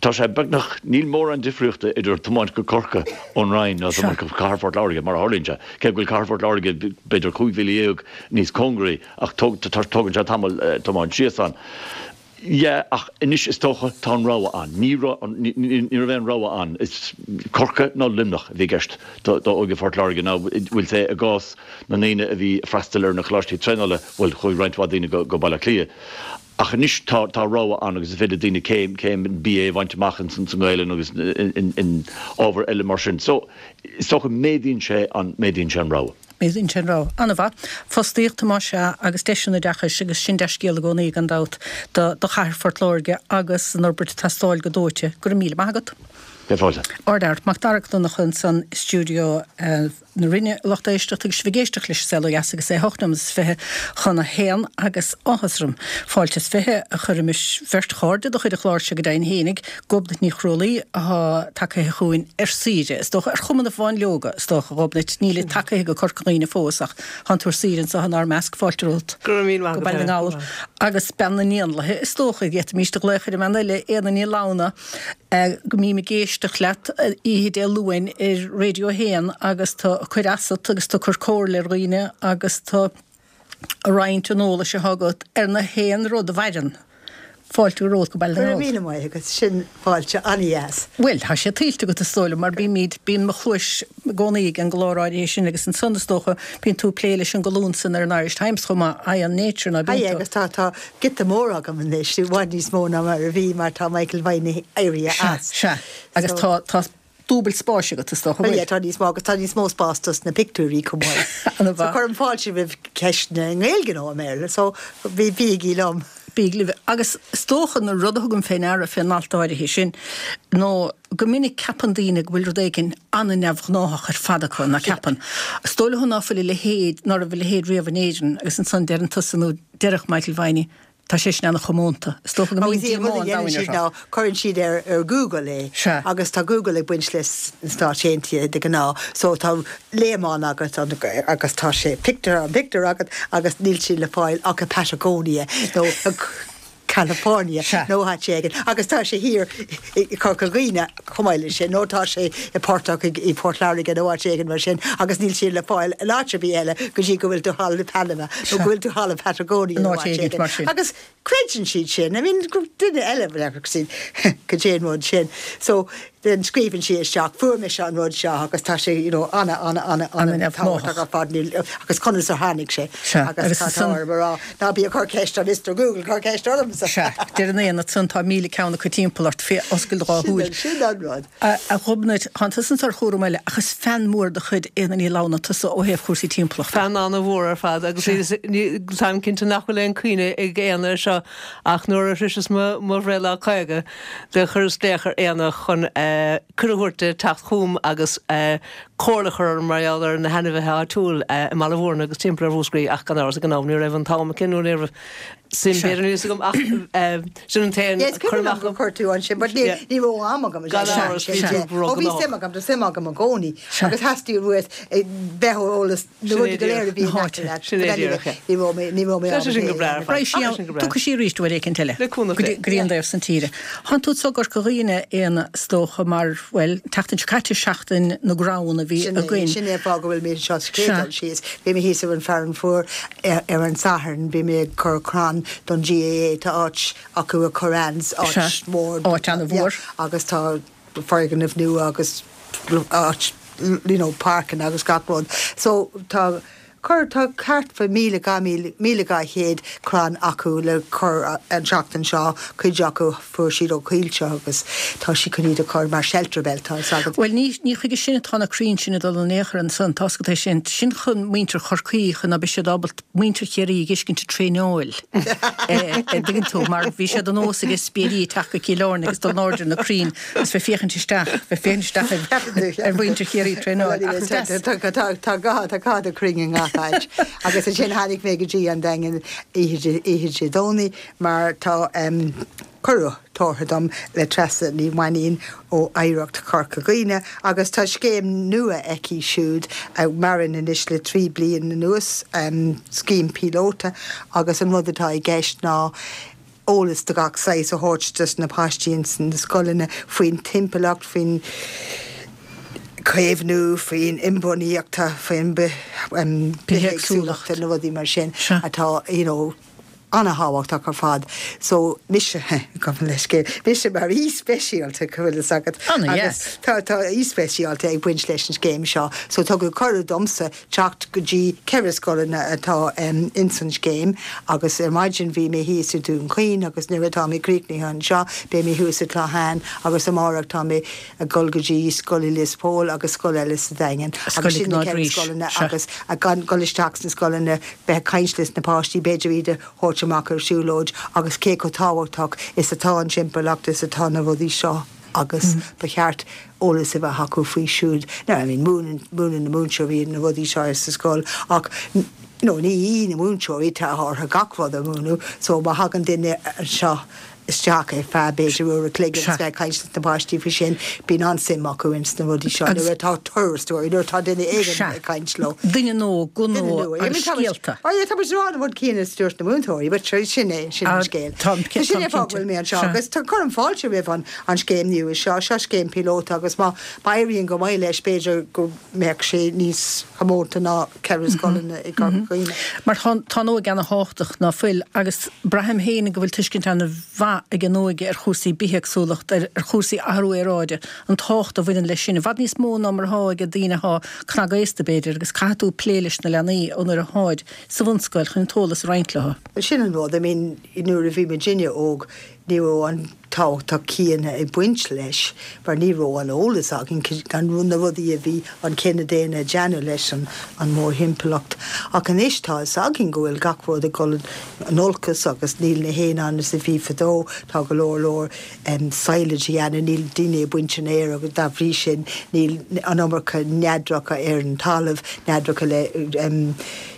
tá sé beagnach, níl mórán difríochta idir tiomáint go Corcaigh ón Rinn ná tiomáint go Cathair Phort Láirge, mar a tharlaíonn sé. Cé go bhfuil Cathair Phort Láirge b'fhéidir 15,000 níos cóngaraí, ach tógann sé tamall tiomáint síos ann. Yeah, ach anois is dócha tá an rogha ann. Ní raibh, ní raibh aon rogha ann. Is Corcaigh nó Luimneach a bhí i gceist d'óige Phort Láirge nó bhuel say i gcás na ndaoine a bhí ag freastal ar na coláistí traenála, bhuel chuaigh roinnt mhaith daoine go go Baile Átha Cliath. Ach anois tá tá rogha ann agus is féidir le daoine céim céim BA a bhaint amach in sa nGaelainn agus in in ábhair eile mar sin. So is dócha méadaíonn sé an méadaíonn sé an rogha. Méadaíonn sé an rogha. An-mhaith. Fostaíocht, más ea, agus deiseanna oideachais agus sin dea-scéal i gcónaí, gan dabht, do chathair Phort Láirge agus an fhorbairt ag teastáil go dóite. Go raibh míle maith agat. Beidh fáilte. Ardfhear. Mac Dara Mac Donncha ansan i stiúideo na Rinne, a lucht éisteachta, agus sibh ag éisteacht leis an Saol Ó Dheas agus é 8 nóiméad is 20 chun a haon agus áthas orm fáilte is 20 a chur roimis bheirt chairde de chuid an chláir seo go deimhin fhéinig, Gobnait Ní Chrualaoi atá tagaithe chugainn ar saoire, is dócha, ar chuma na bhfáinleoga, is dócha, a Ghobnait. Nílid tagaithe go Corca Dhuibhne fós ach tánn tú ar saoire anseo inár measc. Fáilte romhat Go raibh míle maith go Baile na nGall. Agus bean na n-éanlaithe, is dócha, d'fhéadfaimíst a ghlaoch ar an mbean eile, Éanna Ní Lamhna, go mbím ag éisteacht leat oíche Dé Luain ar Radio 1 agus tú ag cur asat agus tú ag cur comhairle ar dhaoine agus tú ag roinnt an eolais atá agat ar na haon rud a mhaireann. Fáilte romhat go Baile na nGall. Go raibh míle maith agat, sin fáilte an-dheas. Bhuel, tá sé tuillte agat is dóigh liom, mar bímid, bíonn mo chluais i gcónaí ag an gclár áirithe sin agus ansan is dócha bíonn tú ag plé leis an gcolún san ar an Irish Times chomh maith, Eye on Nature, ná bíonn tú? Agus tá, tá giota mór agam anois, i bhfad níos mó ná mar a bhí mar tá Michael Viney éirithe as. Sea, sea. Agus tá, tá dúbailt spáis agat, is dócha, an bhfuil? Tá níos mó agus tá níos mó spás dos na pictiúirí chomh maith. Ana-mhaith. So cuirim fáilte roimh ceisteanna i nGaeilge nó i mBéarla, so bígí liom. Bígí libh. Agus is dócha an rud a thugaim fé ndeara fén alt áirithe sin nó go minic ceapann daoine go bhfuil rud éigin an-neamhghnáthach ar fad acu, ná ceapann. Is dóigh leo ná fuil a leithéid, ná raibh a leithéid riamh in Éirinn agus ansan deireann tusa nó deireadh Michael Viney, Tá sé sin an-chomónta. Is dócha go mbíonn díomá an domhain orthu. Ná cuireann siad ar ar Google é. Sea. Agus tá Google ag baint leis na Stáit Aontaithe de ghnáth so tá léamán agat agus tá sé pictiúr an pictiúr agat agus níl sé le fáil ach i Patagonia nó California nó áit éigin agus tá sé thiar i Corca Dhuibhne chomh maith leis sin nó tá sé i portach i Port Láirge nó áit éigin mar sin agus níl sé le fáil in áit ar bith eile go dtí go bhfuil tú thall i Panama nó go bhfuil tú thall i Patagonia nó áit éigin mar sin. Agus creideann siad sin. I mean duine eile siad cad é an rud sin. So then scríobhann sí isteach fuair mise an rud seo agus tá sé you know ana ana ana ana tábhachtach ar fad agus conas a tháinig sé agus tá orm a rá Ná bí ag cur ceist ar Mister Google, cuir ceist ormsa! Sea, deireann Éanna ansan tá 1,000 ceann acu timpeall ort, fé oscail do dhá shúil. Sin an rud. A Ghobnait, tánn tusa anso ar chúram eile, ach is fan mór de chuid Éanna Ní Lamhna tusa ó thaobh chúrsaí timpeallachta. Fan an-mhór ar fad agus táim cinnte nach bhfuil aon cuimhne ag Éanna air seo ach nuair a shroiseas mo bhreithlá 50 do chuireas glaoch ar Éanna chun cuireadh a thabhairt di teacht chugam agus comhairle a chur orm mar gheall ar na hainmhithe áitiúil i mBaile Mhúirne agus timpeall ar Mhúscraí ach gan amhras ag an am ní raibh an t-am aici nó ní raibh suim b'fhéidir níos agam ach sin an t-aon Yes, cur amach gur chuir tú ansin but ní ní raibh am agam Gan amhras bhí tú Ó bhí suim agam tá suim agam i gcónaí agus theastaigh uait bheith ar eolas na rudaí go léir a bhí in aice leat. Sin é díreach é. Ní raibh mé, ní raibh mé Tá sé sin go breá ar fad. Raghaidh sí ann, tiocfaidh sí arís uair éicint eile. Le cúnamh Dé. Go dtí an dtaobh san tíre. Thánn tú anso i gCorca Dhuibhne, a Éanna, is dócha, mar, bhuel, an tseachtain seo caite, seachtain na gcrann a bhí Sin é, againn. sin é an fáth go bhfuil mé anseo sa chéad dul síos. Bhí mé thíos ar an Fearann Fuar ar an Satharn, bhí mé ag cur crann don GAA, tá áit acu i Curraghs, áit mhór. Áit an-mhór. Agus tá foirgneamh nua agus áit you know páirceanna agus gach rud so tá cur tá thart fá 1,200 1,200 crann acu le cur an tseachtain seo cuid acu fuair siad ó choillte agus tá siad chun iad a chur mar shelter belt tá fhios agat. Bhuel ní ní chuige sin atá na crainn sin ag dul in aon chor ansan tá fhios agat é sin sin chun muintir Chorcaí chun ná beidh siad ábalta muintir Chiarraí a dh'fheiscint ag traenáil a' dtuigeann tú mar bhí sé de nós ag spiairí teacht go Cill Airne agus dul in airde ar na crainn agus bheith féachaint isteach, bheith féachaint isteach ar mhuintir Chiarraí ag traenáil ach is deas. Tá gá tá gá do chrainn i ngach áit agus ansin tháinig mé go dtí an Daingean oíche Dé Domhnaigh mar tá. Cuireadh tabhartha dom le Treasa Ní Mhainín ó Oidhreacht Chorca Dhuibhne agus tá scéim nua aici siúd a mhaireann anois le 3 bliain anuas, scéim píolóta agus an rud atá i gceist ná eolas de gach saghas a thabhairt dos na paistí ins na scoileanna faoin timpeallacht, faoin chaomhnú, faoin inbhuanaíocht, faoin bithéagsúlacht, na rudaí mar sin atá you know ana-thábhachtach ar fad. So, mise, gabh mo leithscéal, mise mar aoi speisialta, go bhfuil fhios agat, agus tá tá aoi speisialta ag baint leis an scéim seo. So tugadh cuireadh domsa teacht go dtí 4 scoileanna atá ins an scéim agus ar maidin bhí mé thíos i Dún Chaoin agus nuair atá mé críochnaithe anseo beidh mé thuas i Cloghane agus amárach tá mé ag dul go dtí scoil i Lios Póil agus scoil eile sa Daingean agus sin na 4 scoileanna agus ag dul isteach sna scoileanna bheith ag caint leis na páistí, b'fhéidir iad a thabhairt amach ar siúlóid agus cé chomh tábhachtach is atá an timpeallacht is atá na rudaí seo agus ba cheart eolas a bheith acu faoi siúd. Now, I mean, múineann, múineann na múinteoirí na rudaí seo sa scoil ach you know, ní hí na múinteoirí, tá orthu gach rud a mhúineadh so má thagann duine anseo isteach ar feadh b'fhéidir uair a chloig agus bheith ag caint leis na páistí faoi sin, bíonn an-suim acu ins na rudaí seo nuair atá turasóirí, nuair atá duine éigin ag caint leo. Duine nua, guth nua agus scéalta. Ó yeah, tá muid ag rá an rud céanna is a dúirt na múinteoirí, but sin é, sin an scéal. So sin é fáth go bhfuil mé anseo agus cuirim fáilte roimh an an scéim nua seo, seo scéim píolóta agus má éiríonn go maith leis b'fhéidir go mbeadh sé níos comónta ná 4 scoileanna i gCorca Dhuibhne. Mar tá an óige ana-thábhachtach, ná fuil? Agus braithim féin go bhfuil tuiscint ana-mhaith ag an óige ar chúrsaí bithéagsúlacht, ar chúrsaí athrú aeráide, an tábhacht a bhaineann leis sin, i bhfad níos mó ná mar atá ag daoine atá cnagaosta, b'fhéidir, agus caithfidh tú plé leis na leanaí ó nuair atáid sa bhunscoil chun an t-eolas a roinnt leo. Sin an rud, I mean, nuair a bhí muidinne óg, Ní raibh an tábhacht céanna ag baint leis mar ní raibh an eolas againn gan na rudaí a bhí an cine daonna ag déanamh leis an mórthimpeallacht. Ach anois tá fhios againn go bhfuil gach rud ag dul in olcas agus níl na héin ann is a bhí fadó, tá go leor leor silage a dhéanamh, níl daoine ag baint an fhéir agus dá bhrí sin níl an iomarca neadracha ar an talamh, neadracha le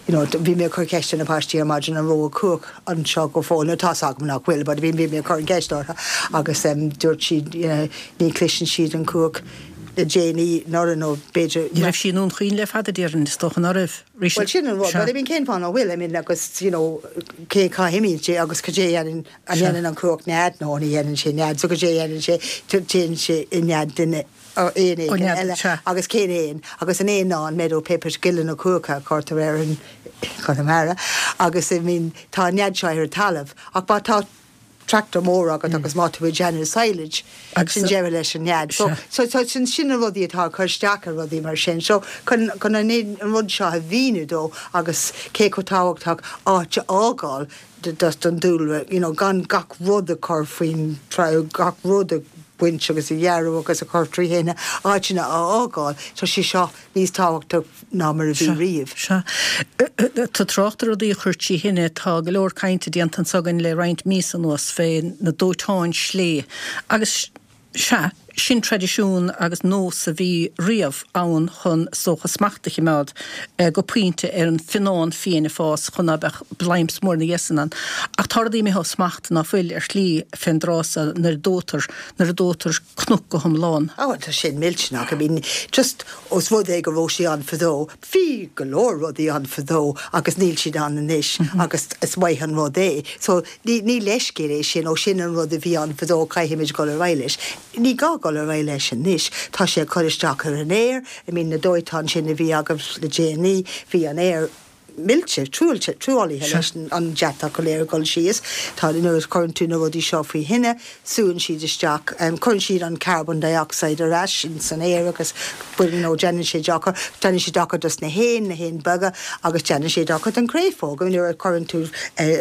you know bhí mé ag cur ceist ar na paistí ar maidin an raibh cuach anseo go fóill, nó tá's agam nach bhfuil, but bhí mé ag cur an cheist orthu agus dúirt siad ní chloiseann siad an cuach le déanaí anuraidh nó b'fhéidir. Ní raibh sí i nDún Chaoin le fada, déarfainn, is dócha ná raibh. Bhuel sin an rud, but I mean cén fáth nach bhfuil, I mean agus you know cé cá himíonn sé agus cad é a dhéanann, an dhéanann an cuach nead? No ní dhéanann sé nead, so cad é a dhéanann sé, téann sé i nead duine. éan éigin eile agus cén éan? Agus an éan ná an meadow pipit, gile na cuaiche a chuirtear air in Conamara agus I mean tá an nead seo ar an talamh ach má tá tractor mór agat agus má tá tú ag déanamh silage sin deireadh leis an nead. So so so sin sin na rudaí atá ag cur isteach ar rudaí mar sin. So chun chun an an rud seo a mhíniú dó agus cé chomh tábhachtach áit a fhágáil don dúlra, you know gan gach rud a chur faoin gach rud a bhaint agus a ghearradh agus a chur trí thine, áiteanna a fhágáil, tá sé seo níos tábhachtaí ná mar a bhí riamh. Sea. Tá trácht ar rudaí a chur trí thine, tá go leor cainte déanta anso againn le roinnt míosa anuas fé na dóiteáin slé agus sea, sin traidisiún agus nós a bhí riamh ann chun, is dócha, smacht a chimeád go pointe ar an bhfionnán fiain ag fás chun ná beadh bladhm mór ina dhiaidh san ann. Ach tá rudaí imithe ó smacht ná fuil ar shlí fén dtráth so nuair a dóitear, nuair a dóitear cnoc go hiomlán. Á tá sin millteanach. I mean just os rud é go raibh sé ann fadó, bhí go leor rudaí ann fadó agus níl siad ann anois agus is maith an rud é. So ní, ní leithscéal é sin, ó sin an rud a bhí ann fadó caithfimid dul ar aghaidh leis. Ní gá dul ar aghaidh leis anois. Tá sé ag cur isteach ar an aer, I mean na dóiteáin sin a bhí agaibh le déanaí, bhí an aer millte, truaillte, truaillithe leis an deatach go léir ag dul síos. Tá, nuair a chuireann tú na rudaí seo faoi thine, súnn siad isteach, cuireann siad an carbon dioxide ar ais ins an aer agus you know déanann sé dochar, déanann sé dochar dos na héin, na héin beaga agus déanann sé dochar don chréafóg. Nuair a chuireann tú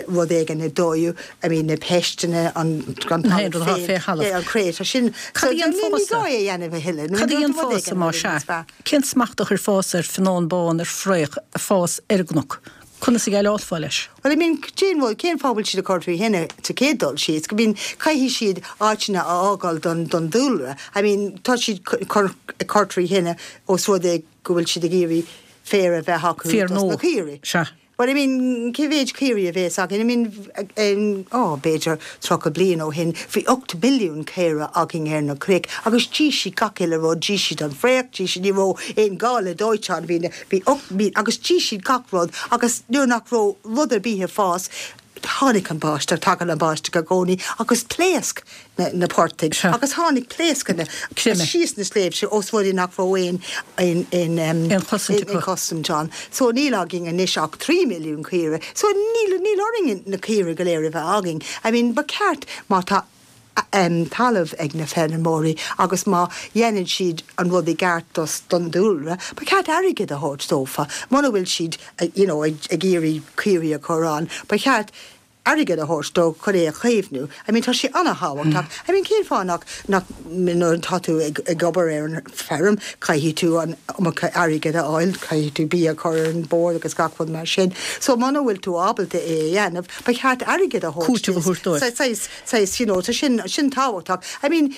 rud éigin ag dóú, I mean na peisteanna, an talamh féin, yeah, an chré, tá sin, so ní gá é a dhéanamh a thuilleadh. Cad a dhéanfása má sea? Cén smacht a chuirfeása ar fionnán bán, ar fraoch, ag fás ar an gcnoc? Conas a dhéileálfá leis? Well, I mean, cén rud, cén fáth a bhfuil siad ag cur trí thine sa chéad dul síos? I mean, caithfidh siad áiteanna a fhágáil don, don dúlra. I mean, tá siad cur, ag cur trí thine os rud é go bhfuil siad ag iarraidh féar a bheith acu Féar dos na nua. caoirigh. Sea. But I mean, cé mhéid caoirigh a bhéas againn? I mean, oh, b'fhéidir 30 bliain ó shin, bhí 8 milliún caora againn ar na cnoic agus d'ith siad gach uile rud, d'ith siad an fraoch, d'ith siad, ní raibh aon gá le dóiteán, bhí na, bhí 8 mí, agus d'ith siad gach rud agus nuair nach raibh rud ar bith ag fás, tháinig an báisteach, tagann an báisteach i gcónaí agus phléasc na, na portaigh Sea. agus tháinig pléascanna Creime. síos na sléibhte ós rud é nach raibh aon, aon, aon, Aon chosaint acu. aon chosaint ann. So níl againn anois ach 3 milliún caoire. So níl, níl orainn na caoire go léir a bheith againn. I mean, ba cheart má tá em talamh ag na feirmeoirí agus má dhéanann siad an rud i gceart dos, don dúlra, ba cheart airgead a thabhairt dófa. Muna bhfuil siad, you know, ag, ag iarraidh caoirigh a chur ann, ba cheart airgead a thabhairt dó chun é a chaomhnú. I mean tá sé ana-thábhachtach. I mean cén fáth nach, nach, nuair atá tú ag, ag obair ar an feirm, caithfidh tú an iomarca airgead a fháil, caithfidh tú bia a chur ar an bord agus gach rud mar sin. So muna bhfuil tú ábalta é a dhéanamh, ba cheart airgead a thabhairt Cúiteamh a thabhairt dóibh. Saghas, saghas, you know, tá sin, sin tábhachtach. I mean,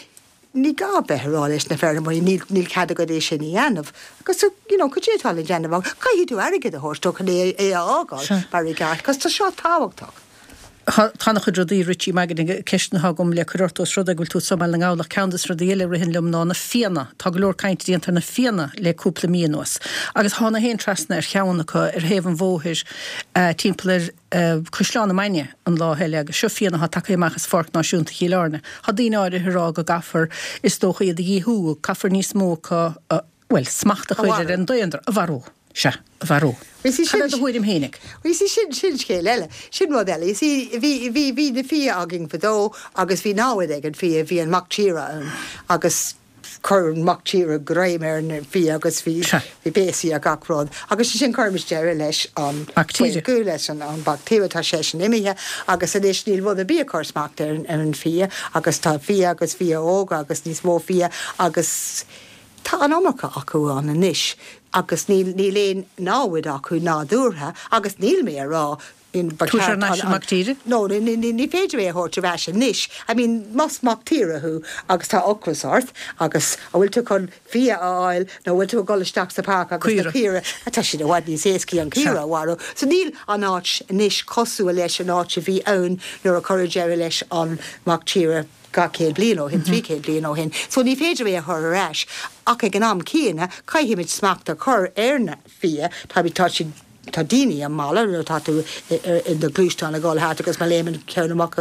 ní gá bheith ag rá leis na feirmeoirí, níl, níl cead agat é sin a dhéanamh. Agus, you know, cad é atá le déanamh acu? Caithfidh tú airgead a thabhairt dó chun é, é a fhágáil mar i gceart, cos tá seo tábhachtach. Tá ana-chuid rudaí, Richie Magan, ceisteanna atá agam le cur ort ós rud é go bhfuil tú anso i mBaile na nGall ach ceann de na rudaí eile a ritheann liom ná na fianna. Tá go leor cainte déanta ar na fianna le cúpla mí anuas. Agus thána féin trasna ar cheann acu ar thaobh an bhóthair timpeall ar Caisleán na Mainge an lá eile agus seo fianna atá tagtha amach as Pháirc Náisiúnta Chill Airne. Tá daoine áirithe ag rá go gcaithfear, is dócha, iad a dhíothú, caithfear níos mó acu a, bhuel, smacht a chur ar an daonra, a mharú. Sea, a mharú. Cad é do thuairim fhéinig? You see, sin, sin scéal eile. Sin rud eile. You see, bhí, bhí, bhí na fia againn fadó agus bhí namhaid ag an fia, bhí an mac tíre ann agus, Chuir an mac tíre greim ar na fia agus bhí bhí béasaí ar gach rud. Agus ansin chuirimis deireadh leis an Mac tíre. Go leis an an mhac tíre tá seisean imithe agus anois níl rud ar bith ag cur smacht ar ar an fia agus tá fia agus fia óga agus níos mó fia agus tá an iomarca acu ann anois agus níl níl aon namhaid acu nádúrtha agus níl mé a rá Ba Tabhairt thar n-ais an mac tíre? No, ní féidir é a thabhairt ar ais anois. I mean, más mac tíre thú agus tá ocras ort agus an bhfuil tú chun fia a fháil nó an bhfuil tú ag dul isteach sa pháirc agus na caoire, tá siad i bhfad níos éascaí an caora a mharú. So níl an áit anois cosúil leis an áit a bhí ann nuair a cuireadh deireadh leis an mac tíre 200 bliain ó shin, 300 bliain ó shin. So ní féidir é a chur ar ais. Ach ag an am céanna, caithfimid smacht a chur ar na fia, tá siad, Tá daoine i mbaile nuair atá tú i do ghluaisteán ag dul thart agus má léimeann ceann amach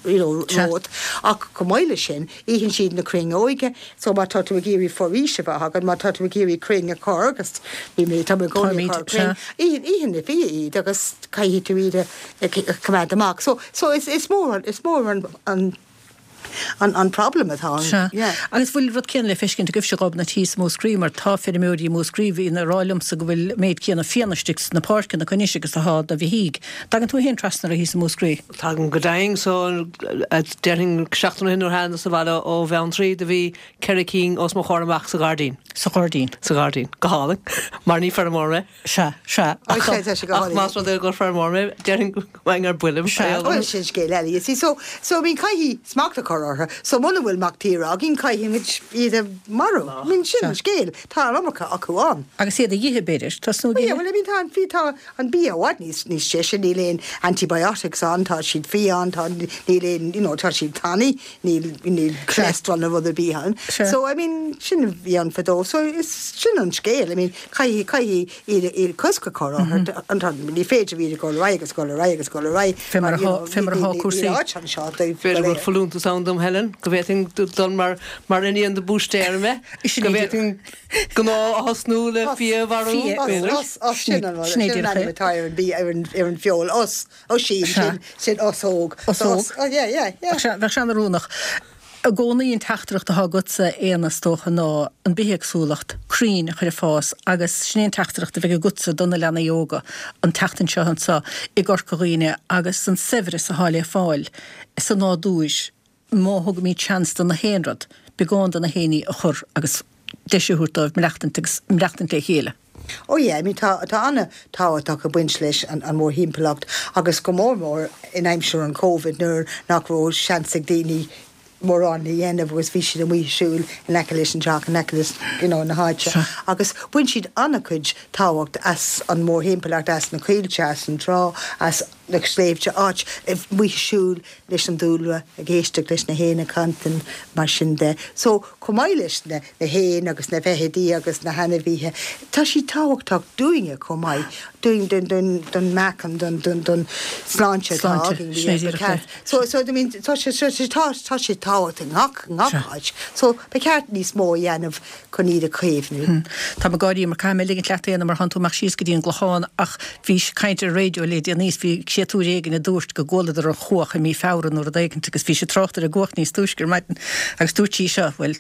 you know romhat. Ach chomh maith leis sin, itheann siad na crainn óige so má tá tú ag iarraidh foraois a bheith agat, má tá tú ag iarraidh crainn a chur agus bhí mé, tá mé i gcónaí ag cur crainn, itheann, itheann na fia iad agus caithfidh tú iad a choimeád amach. So, so is, is mór, is mór an, an, an problem atá ann. Sea. Yeah. Agus bhfuil rud céanna le feiscint agaibhse Ghobnait thíos i Múscraí mar tá feirmeoirí i Múscraí bhíonn ag rá liomsa go bhfuil méid céanna fianna istigh sna páirceanna acu anois agus atá do bheithígh. Dtagann tú féin trasna orthu thíos i Múscraí? Tagaim go deimhin so déarfainn seachtain ó shin nuair a thángas abhaile ó Bheanntraí do bhí ceithre cinn os mo chomhair amach sa ghairdín. Sa ghairdín. Sa ghairdín. Go hálainn. Mar ní feirmeoir mé. Sea, sea. Ach tá, tá sé go Ach hálainn. más rud é gur feirmeoir mé, déarfainn go mbeinn ar buile. Sea. Bhuel, sin scéal eile, you see. So, so, I mean, caithfidh smacht a chur orthu. So, muna bhfuil mac tíre againn, caithfimid iad a mharú. I mean, sin an scéal. Tá an iomarca acu ann. Agus iad a dh'ithe, b'fhéidir. Tosnú ag Yeah, ithe. well, I mean, tá an, bhí, tá an bia i bhfad níos, níos deise, níl aon antibiotics ann, tá siad fiáin, tá, níl aon, you know, tá siad tanaí, níl, níl cholesterol nó rud ar bith ann. Sea. So, I mean, sin a bhí ann fadó. So, is, sin an scéal. I mean, Caithfidh, caithfidh iad, iad cosc a chur orthu. Ní féidir iad a dhul ar aghaidh agus dhul ar aghaidh agus dhul ar aghaidh. Fé mar atá, fé mar atá cúrsaí. Níl áit anseo dóibh B'fhéidir go go bhfuil léir. folúntas ann dom Helen, go bhféadfainn dul mar, mar iníon de búistéir mé, go bhféadfainn gnó a thosnú le fia a mharú, Fia, b'fhéidir. Us, us, sin an rud, Sin é sin an díreach ainm é. atá ar an bia, ar an, ar an bhfeoil, us, oisín, Sea. sin, sin us óg. Us So óg. us, oh yeah, yeah, yeah. Bheadh sé, bheadh sé an-oiriúnach. I gcónaí an teachtaireacht atá agatsa, Éanna, is dócha, ná an bithéagsúlacht, crainn a chur ag fás agus sin é an teachtaireacht a bheidh agatsa do na leanaí óga an tseachtain seo anseo i gCorca Dhuibhne agus an saibhreas atá le fáil sa nádúr má thugaimid seans do na haon rud, beagán de na haon ní a chur agus deis a thabhairt dóibh maireachtaint agus maireachtaint le chéile. Oh yeah, I mean tá tá an-tábhachtach ag baint leis an an mórthimpeallacht agus go mór mór in aimsir an Covid nuair nach raibh seans ag daoine. mórán le dhéanamh agus bhí siad amuigh ag siúl in aice leis an teach, in aice leis you know na háite agus bhain siad an-chuid tábhacht as an mórthimpeallacht, as na coillte, as an trá, as na sléibhte, áit amuigh ag siúl leis an dúlra, ag éisteacht leis na héin ag cantain, mar sin de. So, chomh maith leis na héin agus na feithidí agus na hainmhithe, tá siad tábhachtach dúinne chomh maith, dúinn, don meáchan, don sláinte atá againn. So, so, I mean, tá sé, tá, tá sé tábhachtach i ngach, i ngach áit. So, ba cheart níos mó a dhéanamh chun iad a chaomhnú. Tá mé ag gáirí mar caithfidh mé ligint leat Éanna mar thánn tú amach síos go dtí an gClochán ach bhí caint ar an raidió le déanaí is bhí créatúr éigin a dúirt go gcualadar an chuach i mí Feabhra nó rud éigint agus bhí sé ag trácht ar an gcuach níos túisce ar maidin agus dúirt sí seo, bhuel,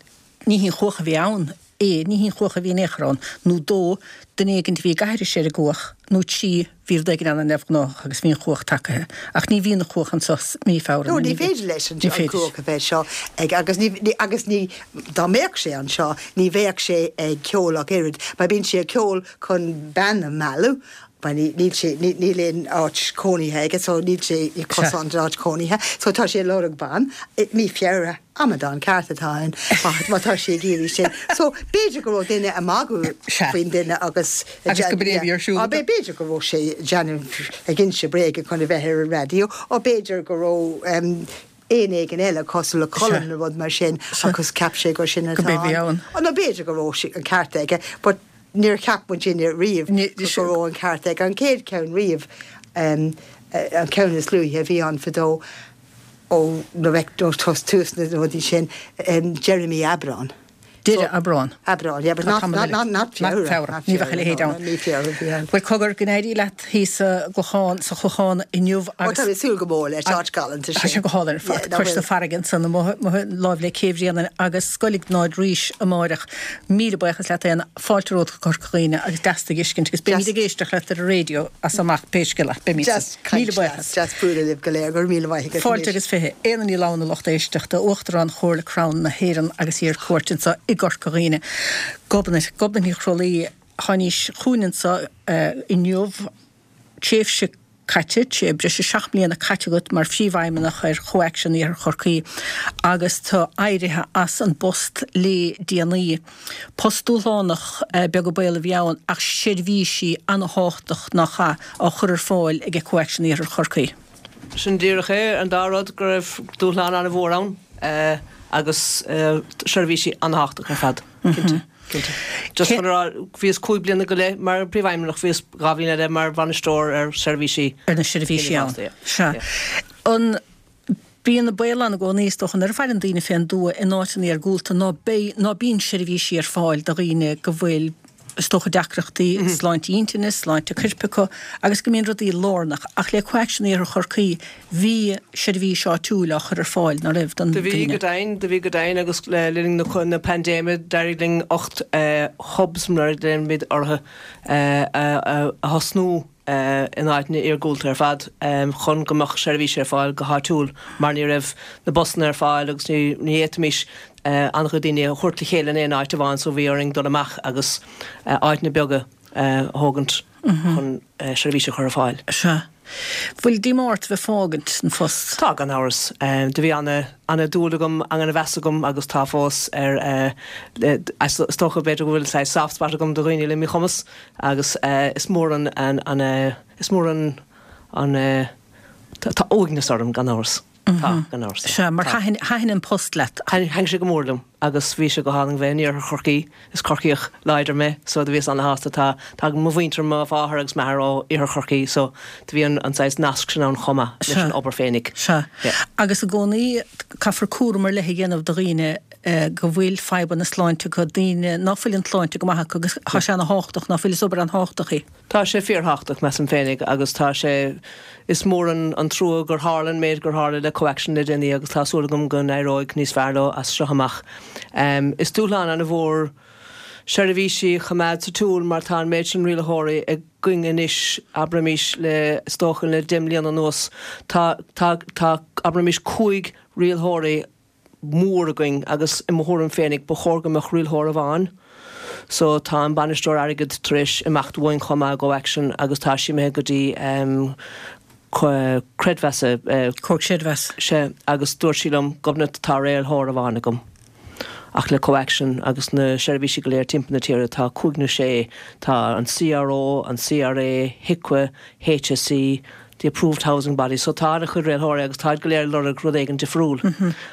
ní hí an chuach a bhí ann, é, ní hí an chuach a bhí in aon chor ann, nó dó, duine éigint a bhí ag aithris ar an gcuach, nó trí, bhí rud éigin an-neamhghnáthach agus bhí an chuach tagaithe. Ach ní bhíonn an chuach anso mí Feabhra No, ní féidir leis an chuach a bheith seo ag, agus ní, agus ní, dá mbeadh sé anseo, ní bheadh sé ag ceol ach oiread, mar bíonn sé ag ceol chun bean a mhealladh, mar ní, níl sé, ní, níl aon áit cónaithe aige, so níl sé ag cosán don áit cónaithe, so tá sé ag lorg ban, mí Feabhra, amadán ceart atá ann, má, má tá sé ag iarraidh sin. So, b'fhéidir go raibh duine ag magadh faoin duine agus, Agus go b'é a bhí ar siúl. B'fhéidir go raibh sé ag déanamh, ag inse bréige chun a bheith ar an raidió, ó b'fhéidir go raibh éan éigin eile cosúil le colann nó rud mar sin agus cheap sé gur sin atá ann. Nó b'fhéidir go raibh sé an ceart aige, but níor cheap muidinne riamh go raibh an ceart aige. An chéad cheann riamh, an ceann is luaithe a bhí ann fadó ó tús na rudaí sin, deireadh mí Aibreán. Deireadh Aibreán. Aibreán, yeah, but not, not, not, not Feabhra. Feabhra, ní bheadh a leithéid ann. Ní Feabhra a bhí ann. Bhuel, cogar, go n-éirí leat thíos sa gClochán, sa Chlochán inniu agus. Ó, tá mé ag súil go mór leis, áit galánta sin. Tá sé go hálainn ar fad, cois na farraige ansan, amuigh láimh le Cé Bhréanainn agus Scoil Iognáid Rís amáireach. Míle buíochas leat Éanna, fáilte romhat go Corca Dhuibhne agus deas tú a fheiscint agus beimid ag éisteacht leat ar an raidió as amach pé scéal é, beimid. Deas caint Míle buíochas. Deas bualadh libh go léir, go raibh míle maith agat Fáilte agus fiche. Éanna Ní Lamhna, lucht éisteachta, Uachtarán Chomhairle Crann na hÉireann agus í ar cuairt anseo i gCorca Dhuibhne. Gobnait, Gobnait Ní Chroithlí, tháinís chugainn anseo inniu, tréimhse caite, breis is 7 mbliana caite agat mar phríomhfheidhmeannach ar ComhAction Iarthar Chorcaí agus tú éirithe as an bpost le déanaí. Post dúshlánach, beag an baol a bhí ann ach seirbhísí an-thábhachtach nach ea, á chur ar fáil ag ComhAction Iarthar Chorcaí. Sin díreach é, an dá rud, go raibh dúshlán an-mhór ann agus seirbhísí an-thábhachtach ar fad, cinnte, cinnte. Just chun a rá, bhíos cúig bliana go leith mar phríomhfheidhmeannach, bhíos dhá bhliain eile mar bhainisteoir ar seirbhísí. Ar na seirbhísí ann, sea. An Bíonn an baol ann i gcónaí, is dócha, nuair a fhaigheann daoine fén dtuath in áiteanna iargúlta ná beidh, ná bíonn seirbhísí ar fáil do dhaoine go bhfuil, is dócha, deacrachtaí sláinte intinne, sláinte coirp acu agus go mbíonn rudaí lárnach. Ach le ComhAction Iarthar Chorcaí bhí seirbhís áitiúil á chur ar fáil, ná raibh, don Do bhí go deimhin, do bhí go deimhin agus le linn na paindéime d'éirigh linn 8 hubs mar a ghlaoimid orthu a thosnú. in áiteanna iargúlta ar fad chun go mbeadh seirbhísí ar fáil go háitiúil mar ní raibh na busanna ar fáil agus ní fhéadfaimis an-chuid daoine a thabhairt le chéile in aon áit amháin so bhí orainn dul amach agus áiteanna beaga a thógaint chun seirbhísí a chur ar fáil. Sea. Bhfuil díomá ort a bheith fágaint an phost? Tá, gan amhras. Do bhí ana-dúil agam, ana-mheas agam agus tá fós ar, is dócha b'fhéidir go bhfuil saghas soft spot agam do dhaoine le míchumas Agus is mór an, an, is mór an, an, tá uaigneas orm, gan amhras. Tá, gan amhras. Sea, mar thaitin, thaitin an post leat. Thaitin sé go mór liom agus bhí sé go hálainn bheith in iarthar Chorcaí. Is Corcaíoch láidir mé so do bhíos ana-shásta. Tá, tá mo mhuintir, mo mháthair agus m'athair ó iarthar Chorcaí so do bhí an, an saghas nasc sin ann chomh maith leis an obair féinig. Sea. Agus i gcónaí caithfear cúram ar leith a dhéanamh do dhaoine go bhfuil fadhbanna sláinte acu, daoine ná fuil an tsláinte go maith acu agus tá sé ana-thábhachtach, ná fuil, is obair an-thábhachtach í. Tá sé fíorthábhachtach, measaim féinig, agus tá sé, is mór an trua gur tharla an méid gur tharla le ComhAction le déanaí agus tá súil agam go n-éireoidh níos fearr leo as seo amach. Is dúshlán ana-mhór seirbhísí a choimeád sa tsiúl mar tá an méid sin rialaitheoirí againn anois, abraimis le, is dócha le deich mbliana anuas, tá, tá, tá, abraimis cúig rialaitheoirí mór againn agus i mo thuairim féinig ba chóir go mbeadh rialthóir amháin. So tá an bainisteoir airgid tar éis imeacht uainn chomh maith i gComhaction agus tá sí imithe go dtí. Creidmheasa. Comhar Creidmheasa. Sea, agus dúirt sí liom, Gobnait, tá rialthóir amháin agam. Ach le CoAction agus na seirbhísí go léir timpeall na tíre, tá cúig nó sé, tá an CRO, an CRA, HIQA, HSE, the approved housing body, so tá an-chuid rialthóirí agus táid go léir ag lorg rud éigin difriúil.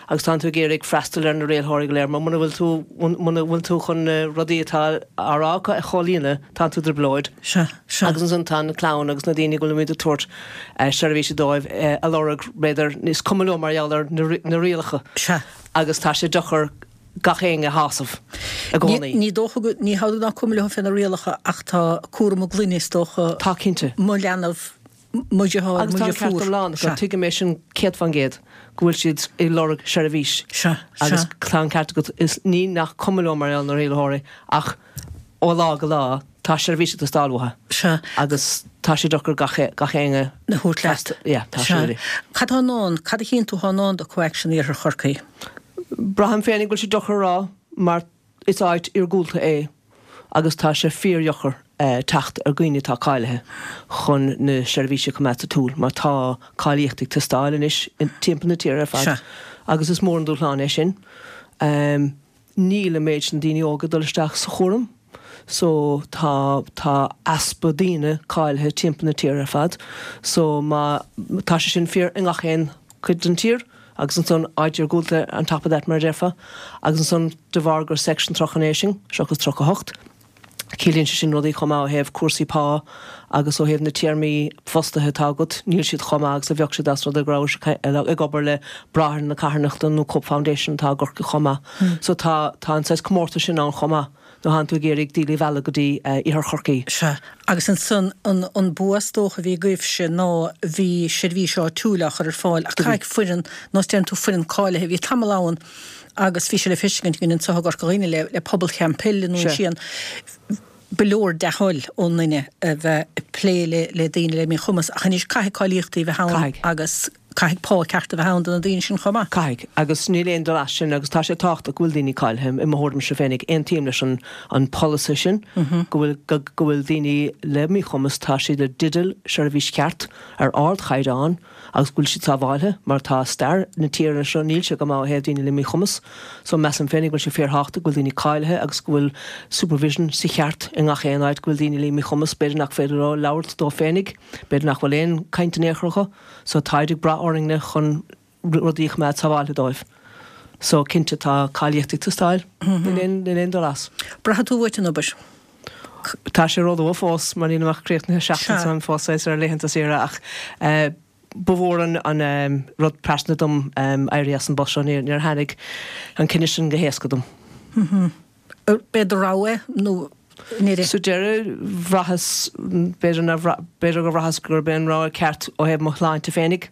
Agus tánn tú ag iarraidh freastal ar na rialthóirí go léir mar muna bhfuil tú, muna bhfuil tú chun na rudaí atá á rá acu a chomhlíonadh, tánn tú i dtrioblóid. Sea, sea. Agus ansan tá an clann agus na daoine go bhfuilimid ag tabhairt seirbhíse dóibh a lorg, b'fhéidir, is cuma leo mar gheall ar na rialacha. Sea. Agus tá sé deacair gach éinne a shásamh i gcónaí. Ní dócha go, ní hamhlaidh nach cuma leo fé na rialacha ach tá cúram a gclainne is dócha. Tá cinnte. Mo leanbh, mo dheartháir, Agus mo tá an ceart dheirfiúr. iomlán acu, Sea. tuigim é sin 100% go bhfuil siad ag lorg seirbhís. Sea, sea. Agus tá an ceart agat, is ní nach cuma leo mar gheall ar na rialaitheoirí ach ó lá go lá tá seirbhís ag teastáil uathu. Sea. Agus tá sé deacair gach, gach éinne A thabhairt leat. Yeah, tá sé Sea. really. Cad tá i ndán, cad a chíonn tú atá i ndán do CoAction Iarthar Chorcaí? Braithim féinig go bhfuil sé deacair a rá mar is áit iargúlta é agus tá sé fíordheacair teacht ar dhaoine atá cáilithe chun na seirbhísí a choimeád sa tsiúl mar tá cáilíocht ag teastáil anois timpeall na tíre ar fad agus is mór an dúshlán é sin. Níl an méid sin daoine óga ag dul isteach sa chúram so tá tá easpa daoine cáilithe timpeall na tíre ar fad so má tá sé sin fíor i ngach aon cuid den tír agus ansan áit iargúlta on top of that mar a déarfá agus ansan de bharr gur section 39 sinn seachas 38 Ciallaíonn sé sin rudaí chomh maith ó thaobh cúrsaí pá agus ó thaobh na téarmaí fostaithe atá agat, níl siad chomh maith agus a bheadh siad as rud é go rabhais ag obair le Bráithre na Carthanachta nó Cope Foundation atá i gCorcaigh chomh maith. So tá tá an saghas comórtas sin ann chomh maith nuair atánn tú ag iarraidh daoine a mhealladh go dtí Iarthar Chorcaí. Sea. Agus ansan an an bua is dócha a bhí agaibhse ná bhí seirbhís áitiúil á chur ar fáil ach caithfidh foireann, nós deireann tú foireann cáilithe, bhí tamall ann agus bhí sé le feiscint againn anseo i gCorca Dhuibhne le pobal Theampaill i nDún Síon. Ba leor dea-thoil ón nduine a bheith ag plé le daoine le míchumas ach anois caithfidh cáilíochtaí a bheith ann agus caithfidh pá ceart a bheith ann do na daoine sin chomh maith. Caithfidh, agus níl aon dul as sin agus tá sé tábhachtach go bhfuil daoine cáilithe, i mo thuairimse féinig. Aontaím leis an an polasaí sin go bhfuil go bhfuil daoine le míchumas, tá siad i dteideal seirbhís cheart ar ardchaighdeán, agus go bhfuil siad sábháilthe, mar tá stair na tíre seo, níl sé go maith ó thaobh daoine le míchumas. So measaim féinig go bhfuil sé fíorthábhachtach go bhfuil daoine cáilithe agus go bhfuil supervision sa cheart i ngach aon áit, go bhfuil daoine le míchumas, b'fhéidir nach féidir leo labhairt dóibh féinig, b'fhéidir nach bhfuil aon caint in aon chor acu, so táid ag brath orainne chun rudaí a choimeád sábháilthe dóibh. So cinnte tá cáilíocht ag teastáil, níl aon dul as. Braithfidh tú uait an obair. Tá sé róluath fós mar nílim ach críochnaithe seachtain so táim fós saghas ar laethanta saoire ach ba mhór an rud pearsanta dom éirí as an bpost seo. Níor tháinig an cinneadh sin go héasca dom. B'é do rogha é nó níor. Sa deireadh bhraitheas, b'fhéidir nár bhraith, b'fhéidir gur bhraitheas gurb é an rogha ceart ó thaobh mo shláinte féinig.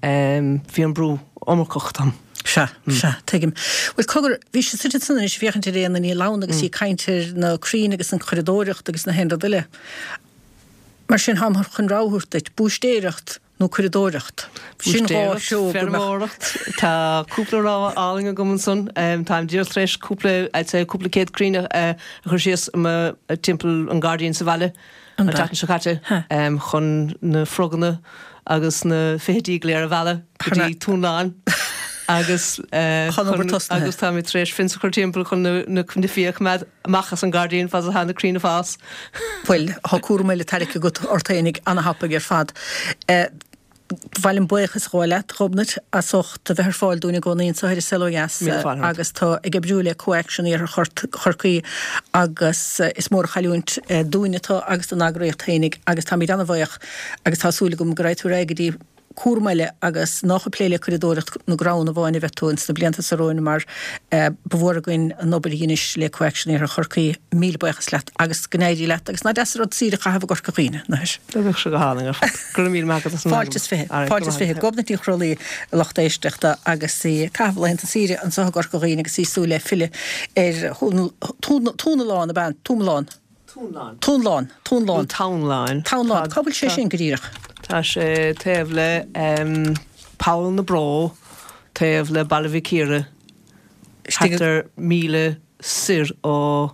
Bhí an brú iomarcach dom. Sea, sea, tuigim. Bhuel, cogar, bhí sé suite ansan anois ag féachaint ar Éanna Ní Lamhna agus í ag caint ar na crainn agus an churadóireacht agus na haon rud eile. Mar sin, táim chun rogha a thabhairt duit, búistéireacht nó curadóireacht. Sin dhá Búistéireacht, threo go mbeadh. feirmeoireacht, tá cúpla rogha álainn agam ansan. Táim díreach tar éis cúpla, I'd say, cúpla céad crainn a chur síos i mo, timpeall an gairdín sa bhaile. an tseachtain seo caite chun na froganna agus na feithidí go léir a mhealladh go dtí Túnlán agus agus táimid tar éis fence a chur timpeall chun na fiacha a choimeád amach as an ngairdín fad is atá na crainn ag fás. Bhuel, tá cúram eile tarraicthe agat ort fhéinig ana-thapaidh ar fad. Ba mhaith liom buíochas a ghabháil leat, a Ghobnait, as ucht a bheith ar fáil dúinn i gcónaí anseo ar An Saol Ó Dheas agus tú ag oibriú le CoAction Iarthar Chorcaí agus is mór an chailliúint dúinne tú agus don eagraíocht fhéinig agus táimid ana-bhuíoch agus tá súil agam go raghaidh tú ar aghaidh go dtí cúram eile agus nách ag plé le curadóireacht na gcrann amháin a bheidh tú ins na blianta seo romhainn mar ba mhór againn an obair a dheinis le CoAction Iarthar Chorcaí. Míle buíochas leat agus go n-éirí leat agus nach deas an rud saoire a chaitheamh i gCorca Dhuibhne, nach ea? Bheadh sé go hálainn ar fad. Go raibh míle maith agat as an Fáilte is 20. Fáilte is 20. Gobnait Ní Chrólaí, a lucht éisteachta, agus í ag caitheamh laethanta saoire anseo i gCorca Dhuibhne agus í ag súil le filleadh ar Thúnalán, ab ea? Túmalán? Túnlán. Túnlán. Túnlán. Nó Townlán. Townlán. Cá bhfuil sé sin go díreach? Tá sé taobh le Poll na Bró, taobh le Baile Mhic Íre, thart ar mhíle soir ó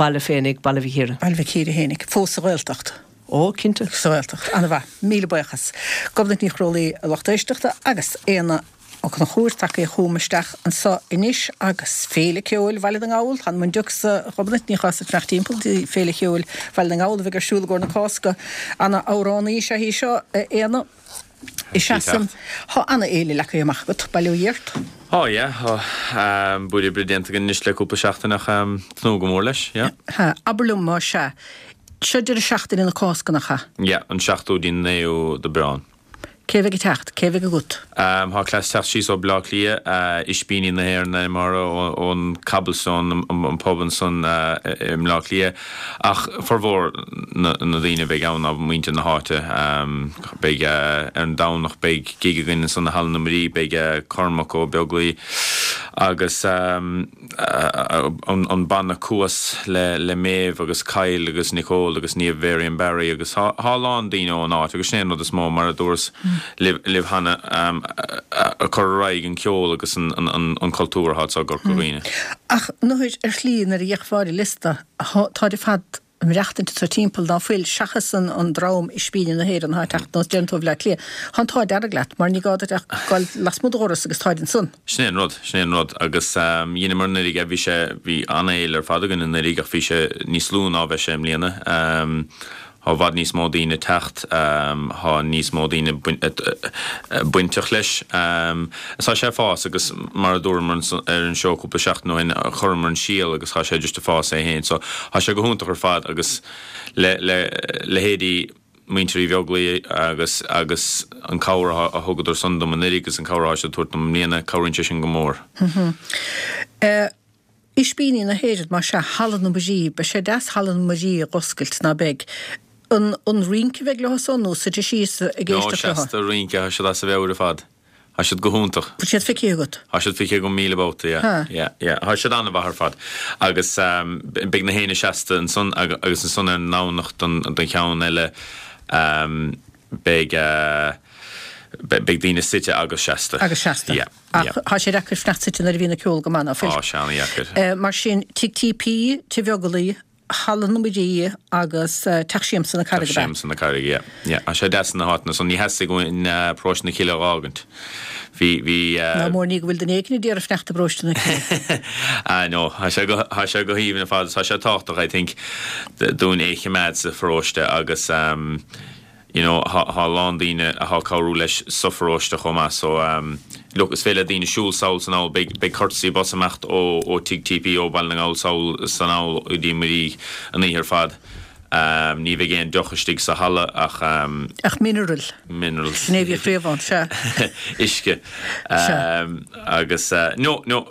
baile féinig, Baile Mhic Íre. Baile Mhic Íre fhéinig, fós sa Ghaeltacht. Ó, cinnte. Sa Ghaeltacht. Ana-mhaith. Míle buíochas. Gobnait Ní Chrólaí, a lucht éisteachta, agus Éanna Ó Conchúir tagtha chugam isteach anso anois agus Féile Ceoil Bhaile na nGall, th'anam 'on diúc 's a Ghobnait, ní gá duit fanacht timpeall dtí Féile Cheoil Bhaile na nGall a bheidh ar siúl i gcomhair na Cásca. Ana-amhránaí is ea í seo, a Éanna. Is ea san. Thá ana-fhéile leagtha amach agat, bail ó Dhia ort. Thá, yeah, thá. Buaidh oibre déanta againn anois le cúpla seachtain ach tnúth go mór leis, yeah. Ha, abair liom más ea. Seo deireadh seachtaine na Cásca, nach ea? Yeah, an seachtú dtí an naoú d'Aibreán. Cé bheidh ag teacht? Cé bheidh agat? Thá cleas ag teacht síos ó Bleá Cliath, Ispíní na hÉireann ainm orthu, ón Cobblestone, an pub ansan i mBleá Cliath. Ach formhór na daoine a bheidh ann ná muintir na háite. Beidh, ar an Domhnach beidh gig againn ansan i Halla na Muirí, beidh Cormac Ó Beaglaoi agus, an banna Cuas le Méabh agus Kyle agus Nicole agus Niamh Varian Barry agus thá a lán daoine ón áit agus sin é an rud is mó mar a dúras libh cheana ag cur ar aghaidh an ceol agus an cultúr athá anso i gCorca Dhuibhne. Ach nuair, ar shlí, nuair a d'fhéachfá ar an liosta, táid ar fad ag maireachtaint anso timpeall, ná fuil, seachas an dream Ispíní na hÉireann atá ag teacht anuas deireann tú ó Bhleá Cliath. Tá an t-ádh dearg leat, mar ní gá duit ach dul lasmuigh do dhoras agus táid ansan. Sin é an rud, sin é an rud. Agus dheineamar anuraidh é, bhí sé, bhí an-fhéile ar fad againn anuraidh ach bhí sé níos lú ná bheidh sé i mbliana. Thá i bhfad níos mó daoine ag teacht, thá níos mó daoine bainteach leis. Is tá sé ag fás agus mar a dúramar ar an seó cúpla seachtain ó shin, chuireamar an síol agus thá sé just ag fás é féin. So thá sé go hiontach ar fad agus le leithéidí muintir Uí Bheaglaoi agus agus an cabhair a thugadar san dom anuraidh agus an cabhair athá siad ag tabhairt dom i mbliana, cabhraíonn sé sin go mór. Ispíní na hÉireann, más ea, Halla na Muirí, beidh sé deas Halla na Muirí a dh'oscailt, ná beidh? An an rince a bheidh leo san nó suite síos ag No, éisteacht leo? seasta, rince, thá siad as a mheabhair ar fad. Thá siad go hiontach. Bhfuil siad feicthe agat? Thá siad feicthe agam 1,000 babhta, yeah, Ha. yeah, yeah. Thá siad an-mhaith ar fad. Agus beidh na héinne seasta ansan agus ansan ar an nDomhnach don don cheann eile beidh beidh daoine suite agus seasta. Agus seasta. Yeah. Ach thá sé deacair fanacht suite nuair a bhíonn an ceol go maith, ná fuil? Thá sé an-dheacair. Mar sin, Tigh TP, Tigh Bheaglaoi, Halla na Muirí agus Teach Siamsa na Carraige, Teach Siamsa na Carraige, yeah. Yeah. Thá sé deas na háiteanna san. Ní theastaigh uainn Paróiste na Cille a dh'fhágaint. Bhí, bhí. Ná mór ní go bhfuil duine éigin a d'iarraidh fanacht i bParóiste na Cille. Ah no, thá sé go, thá sé go haoibhinn ar fad. Tá sé tábhachtach, I think, dúinn é a chimeád sa pharóiste agus, you know thá a lán daoine athá cabhrú leis sa pharóiste chomh maith so look is féidir le daoine siúl sall is anall beidh beidh courtesy bus ag imeacht ó ó Tigh TP ó Baile na nGall sall is anall go dtí Muirí an oíche ar fad ní bheidh aon deoch istigh sa halla ach Ach mineral. Minerals. Sin é a bhí fréamh ann, sea. Uisce. Sea. Agus no no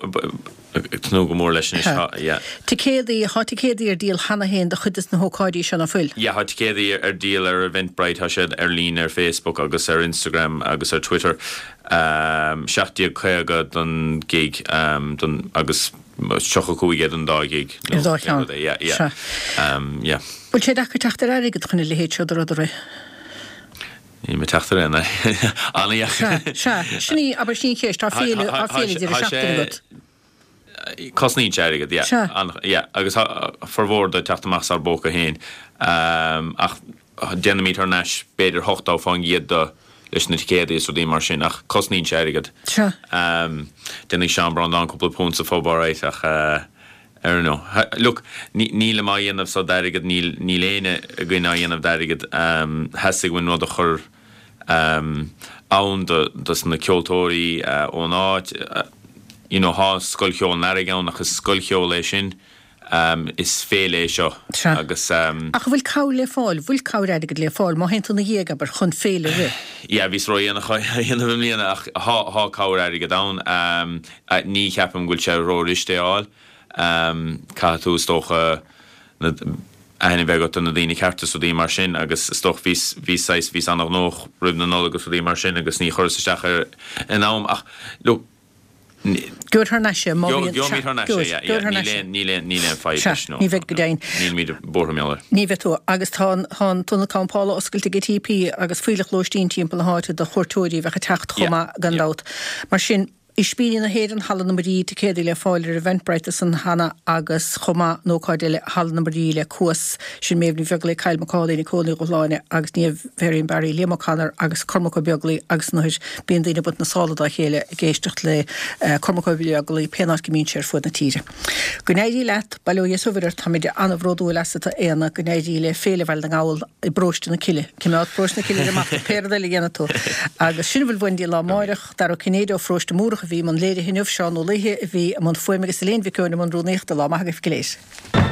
Ag tnúth go mór leis anois. Tá, yeah. Ticéadaí, Thá ticéadaí ar díol cheana féin do chuid des na hócáidí seo, ná fuil? Yeah, thá ticéadaí ar díol ar Eventbrite, thá siad ar líne ar Facebook agus ar Instagram agus ar Twitter. 17.50 don gig don agus 35 é don dá ghig. Ar dá cheann. Yeah, yeah. Sea. Yeah. Bhfuil sé deacair teacht ar airgead chun a leithéid seo de rud a rith? Níl mé ag teacht ar aon an-dheacair. Sea, sea. Sin í, abair, sin í an cheist. Tá féile, tá féile deireadh seachtaine agat. Cosnaíonn sé airgead, yeah. Sea. Yeah, agus tá formhór de ag teacht amach as ár bpóca féin. Ach déanaimid thar n-ais b'fhéidir 80% de leis na ticéadaí is rudaí mar sin, ach cosnaíonn sé airgead. Sea. Déanfaidh Seán Breandán cúpla punt sa phub alright ach. I don't know. Look, nílim á dhéanamh so d'airgead, níl, níl éinne againn á dhéanamh d'airgead. Theastaigh uainn rud a chur ann do, dos na ceoltóirí ón áit. You know, thá Scoil Cheoil an Earraigh ann ach is scoil cheoil é sin. Is féile é seo Sea. agus. Ach an bhfuil cabhair le fáil, bhfuil cabhair airgid le fáil má théann tú ina dhiaidh, abair, chun féile a rith? Yeah, bhíos ródhéanach á dhéanamh i mbliana ach thá, thá cabhair airgid ann. Ní cheapaim go bhfuil sé róghairid é a fháil. Caithfidh tú, is dócha, na, aithne a bheith agat ar na daoine cearta is rudaí mar sin agus is dócha bhíos, bhíos saghas, bhíos an-ghnóthach roimh na Nollag is rudaí mar sin agus ní chuireas isteach air in am ach look, ní, Gheobhair thar n-ais é má bhíonn, Gheobhaimid thar n-ais é, yeah, yeah, gheobhair thar níl n-ais é. aon, níl aon, níl aon fadhb Sea, leis, no, ní bheidh go no, deimhin. nílimid buartha mar gheall air. Ní bheidh tú. Agus tá an, tá an t-ionad campála oscailte ag TP agus fuílleach lóistín timpeall na háite do chuairteoirí a bheadh ag teacht chomh Yeah, maith gan yeah. dabht. Mar sin. Ispíní na hÉireann, Halla na Muirí, ticéadaí le fáil ar Eventbrite ansan cheana agus chomh maith an ócáid eile Halla na Muirí le Cuas, sin Méabh Ní Bheaglaoich, Kyle McCauley, Nicole Ní Dhubhshláine agus Niamh Varian Barry, Liam O'Connor agus Cormac Ó Beaglaoich agus an uair bíonn daoine ag baint na sála dá chéile ag éisteacht le Cormac Ó Beaglaoich pén áit go mbíonn sé ar fuaid na tíre. Go n-éirí leat, bail ó Dhia is a mhuire ort, táimid an-bhródúil asat a Éanna, go n-éirí le Féile Bhaile na nGall i bParóiste na Cille, coimeád Paróiste na Cille ar an mapa pé rud eile a dhéanfaidh tú. Agus sin a bhfuil uainn go dtí an lá amáireach, Dara Ó Cinnéide ó Pharóiste Múrach a bhí i mbun léirithe inniu, Seán Ó Laoithe a bhí i mbun fuaime agus Elaine Mhic Eoin i mbun rúnaíochta. Lá maith agaibh go léir.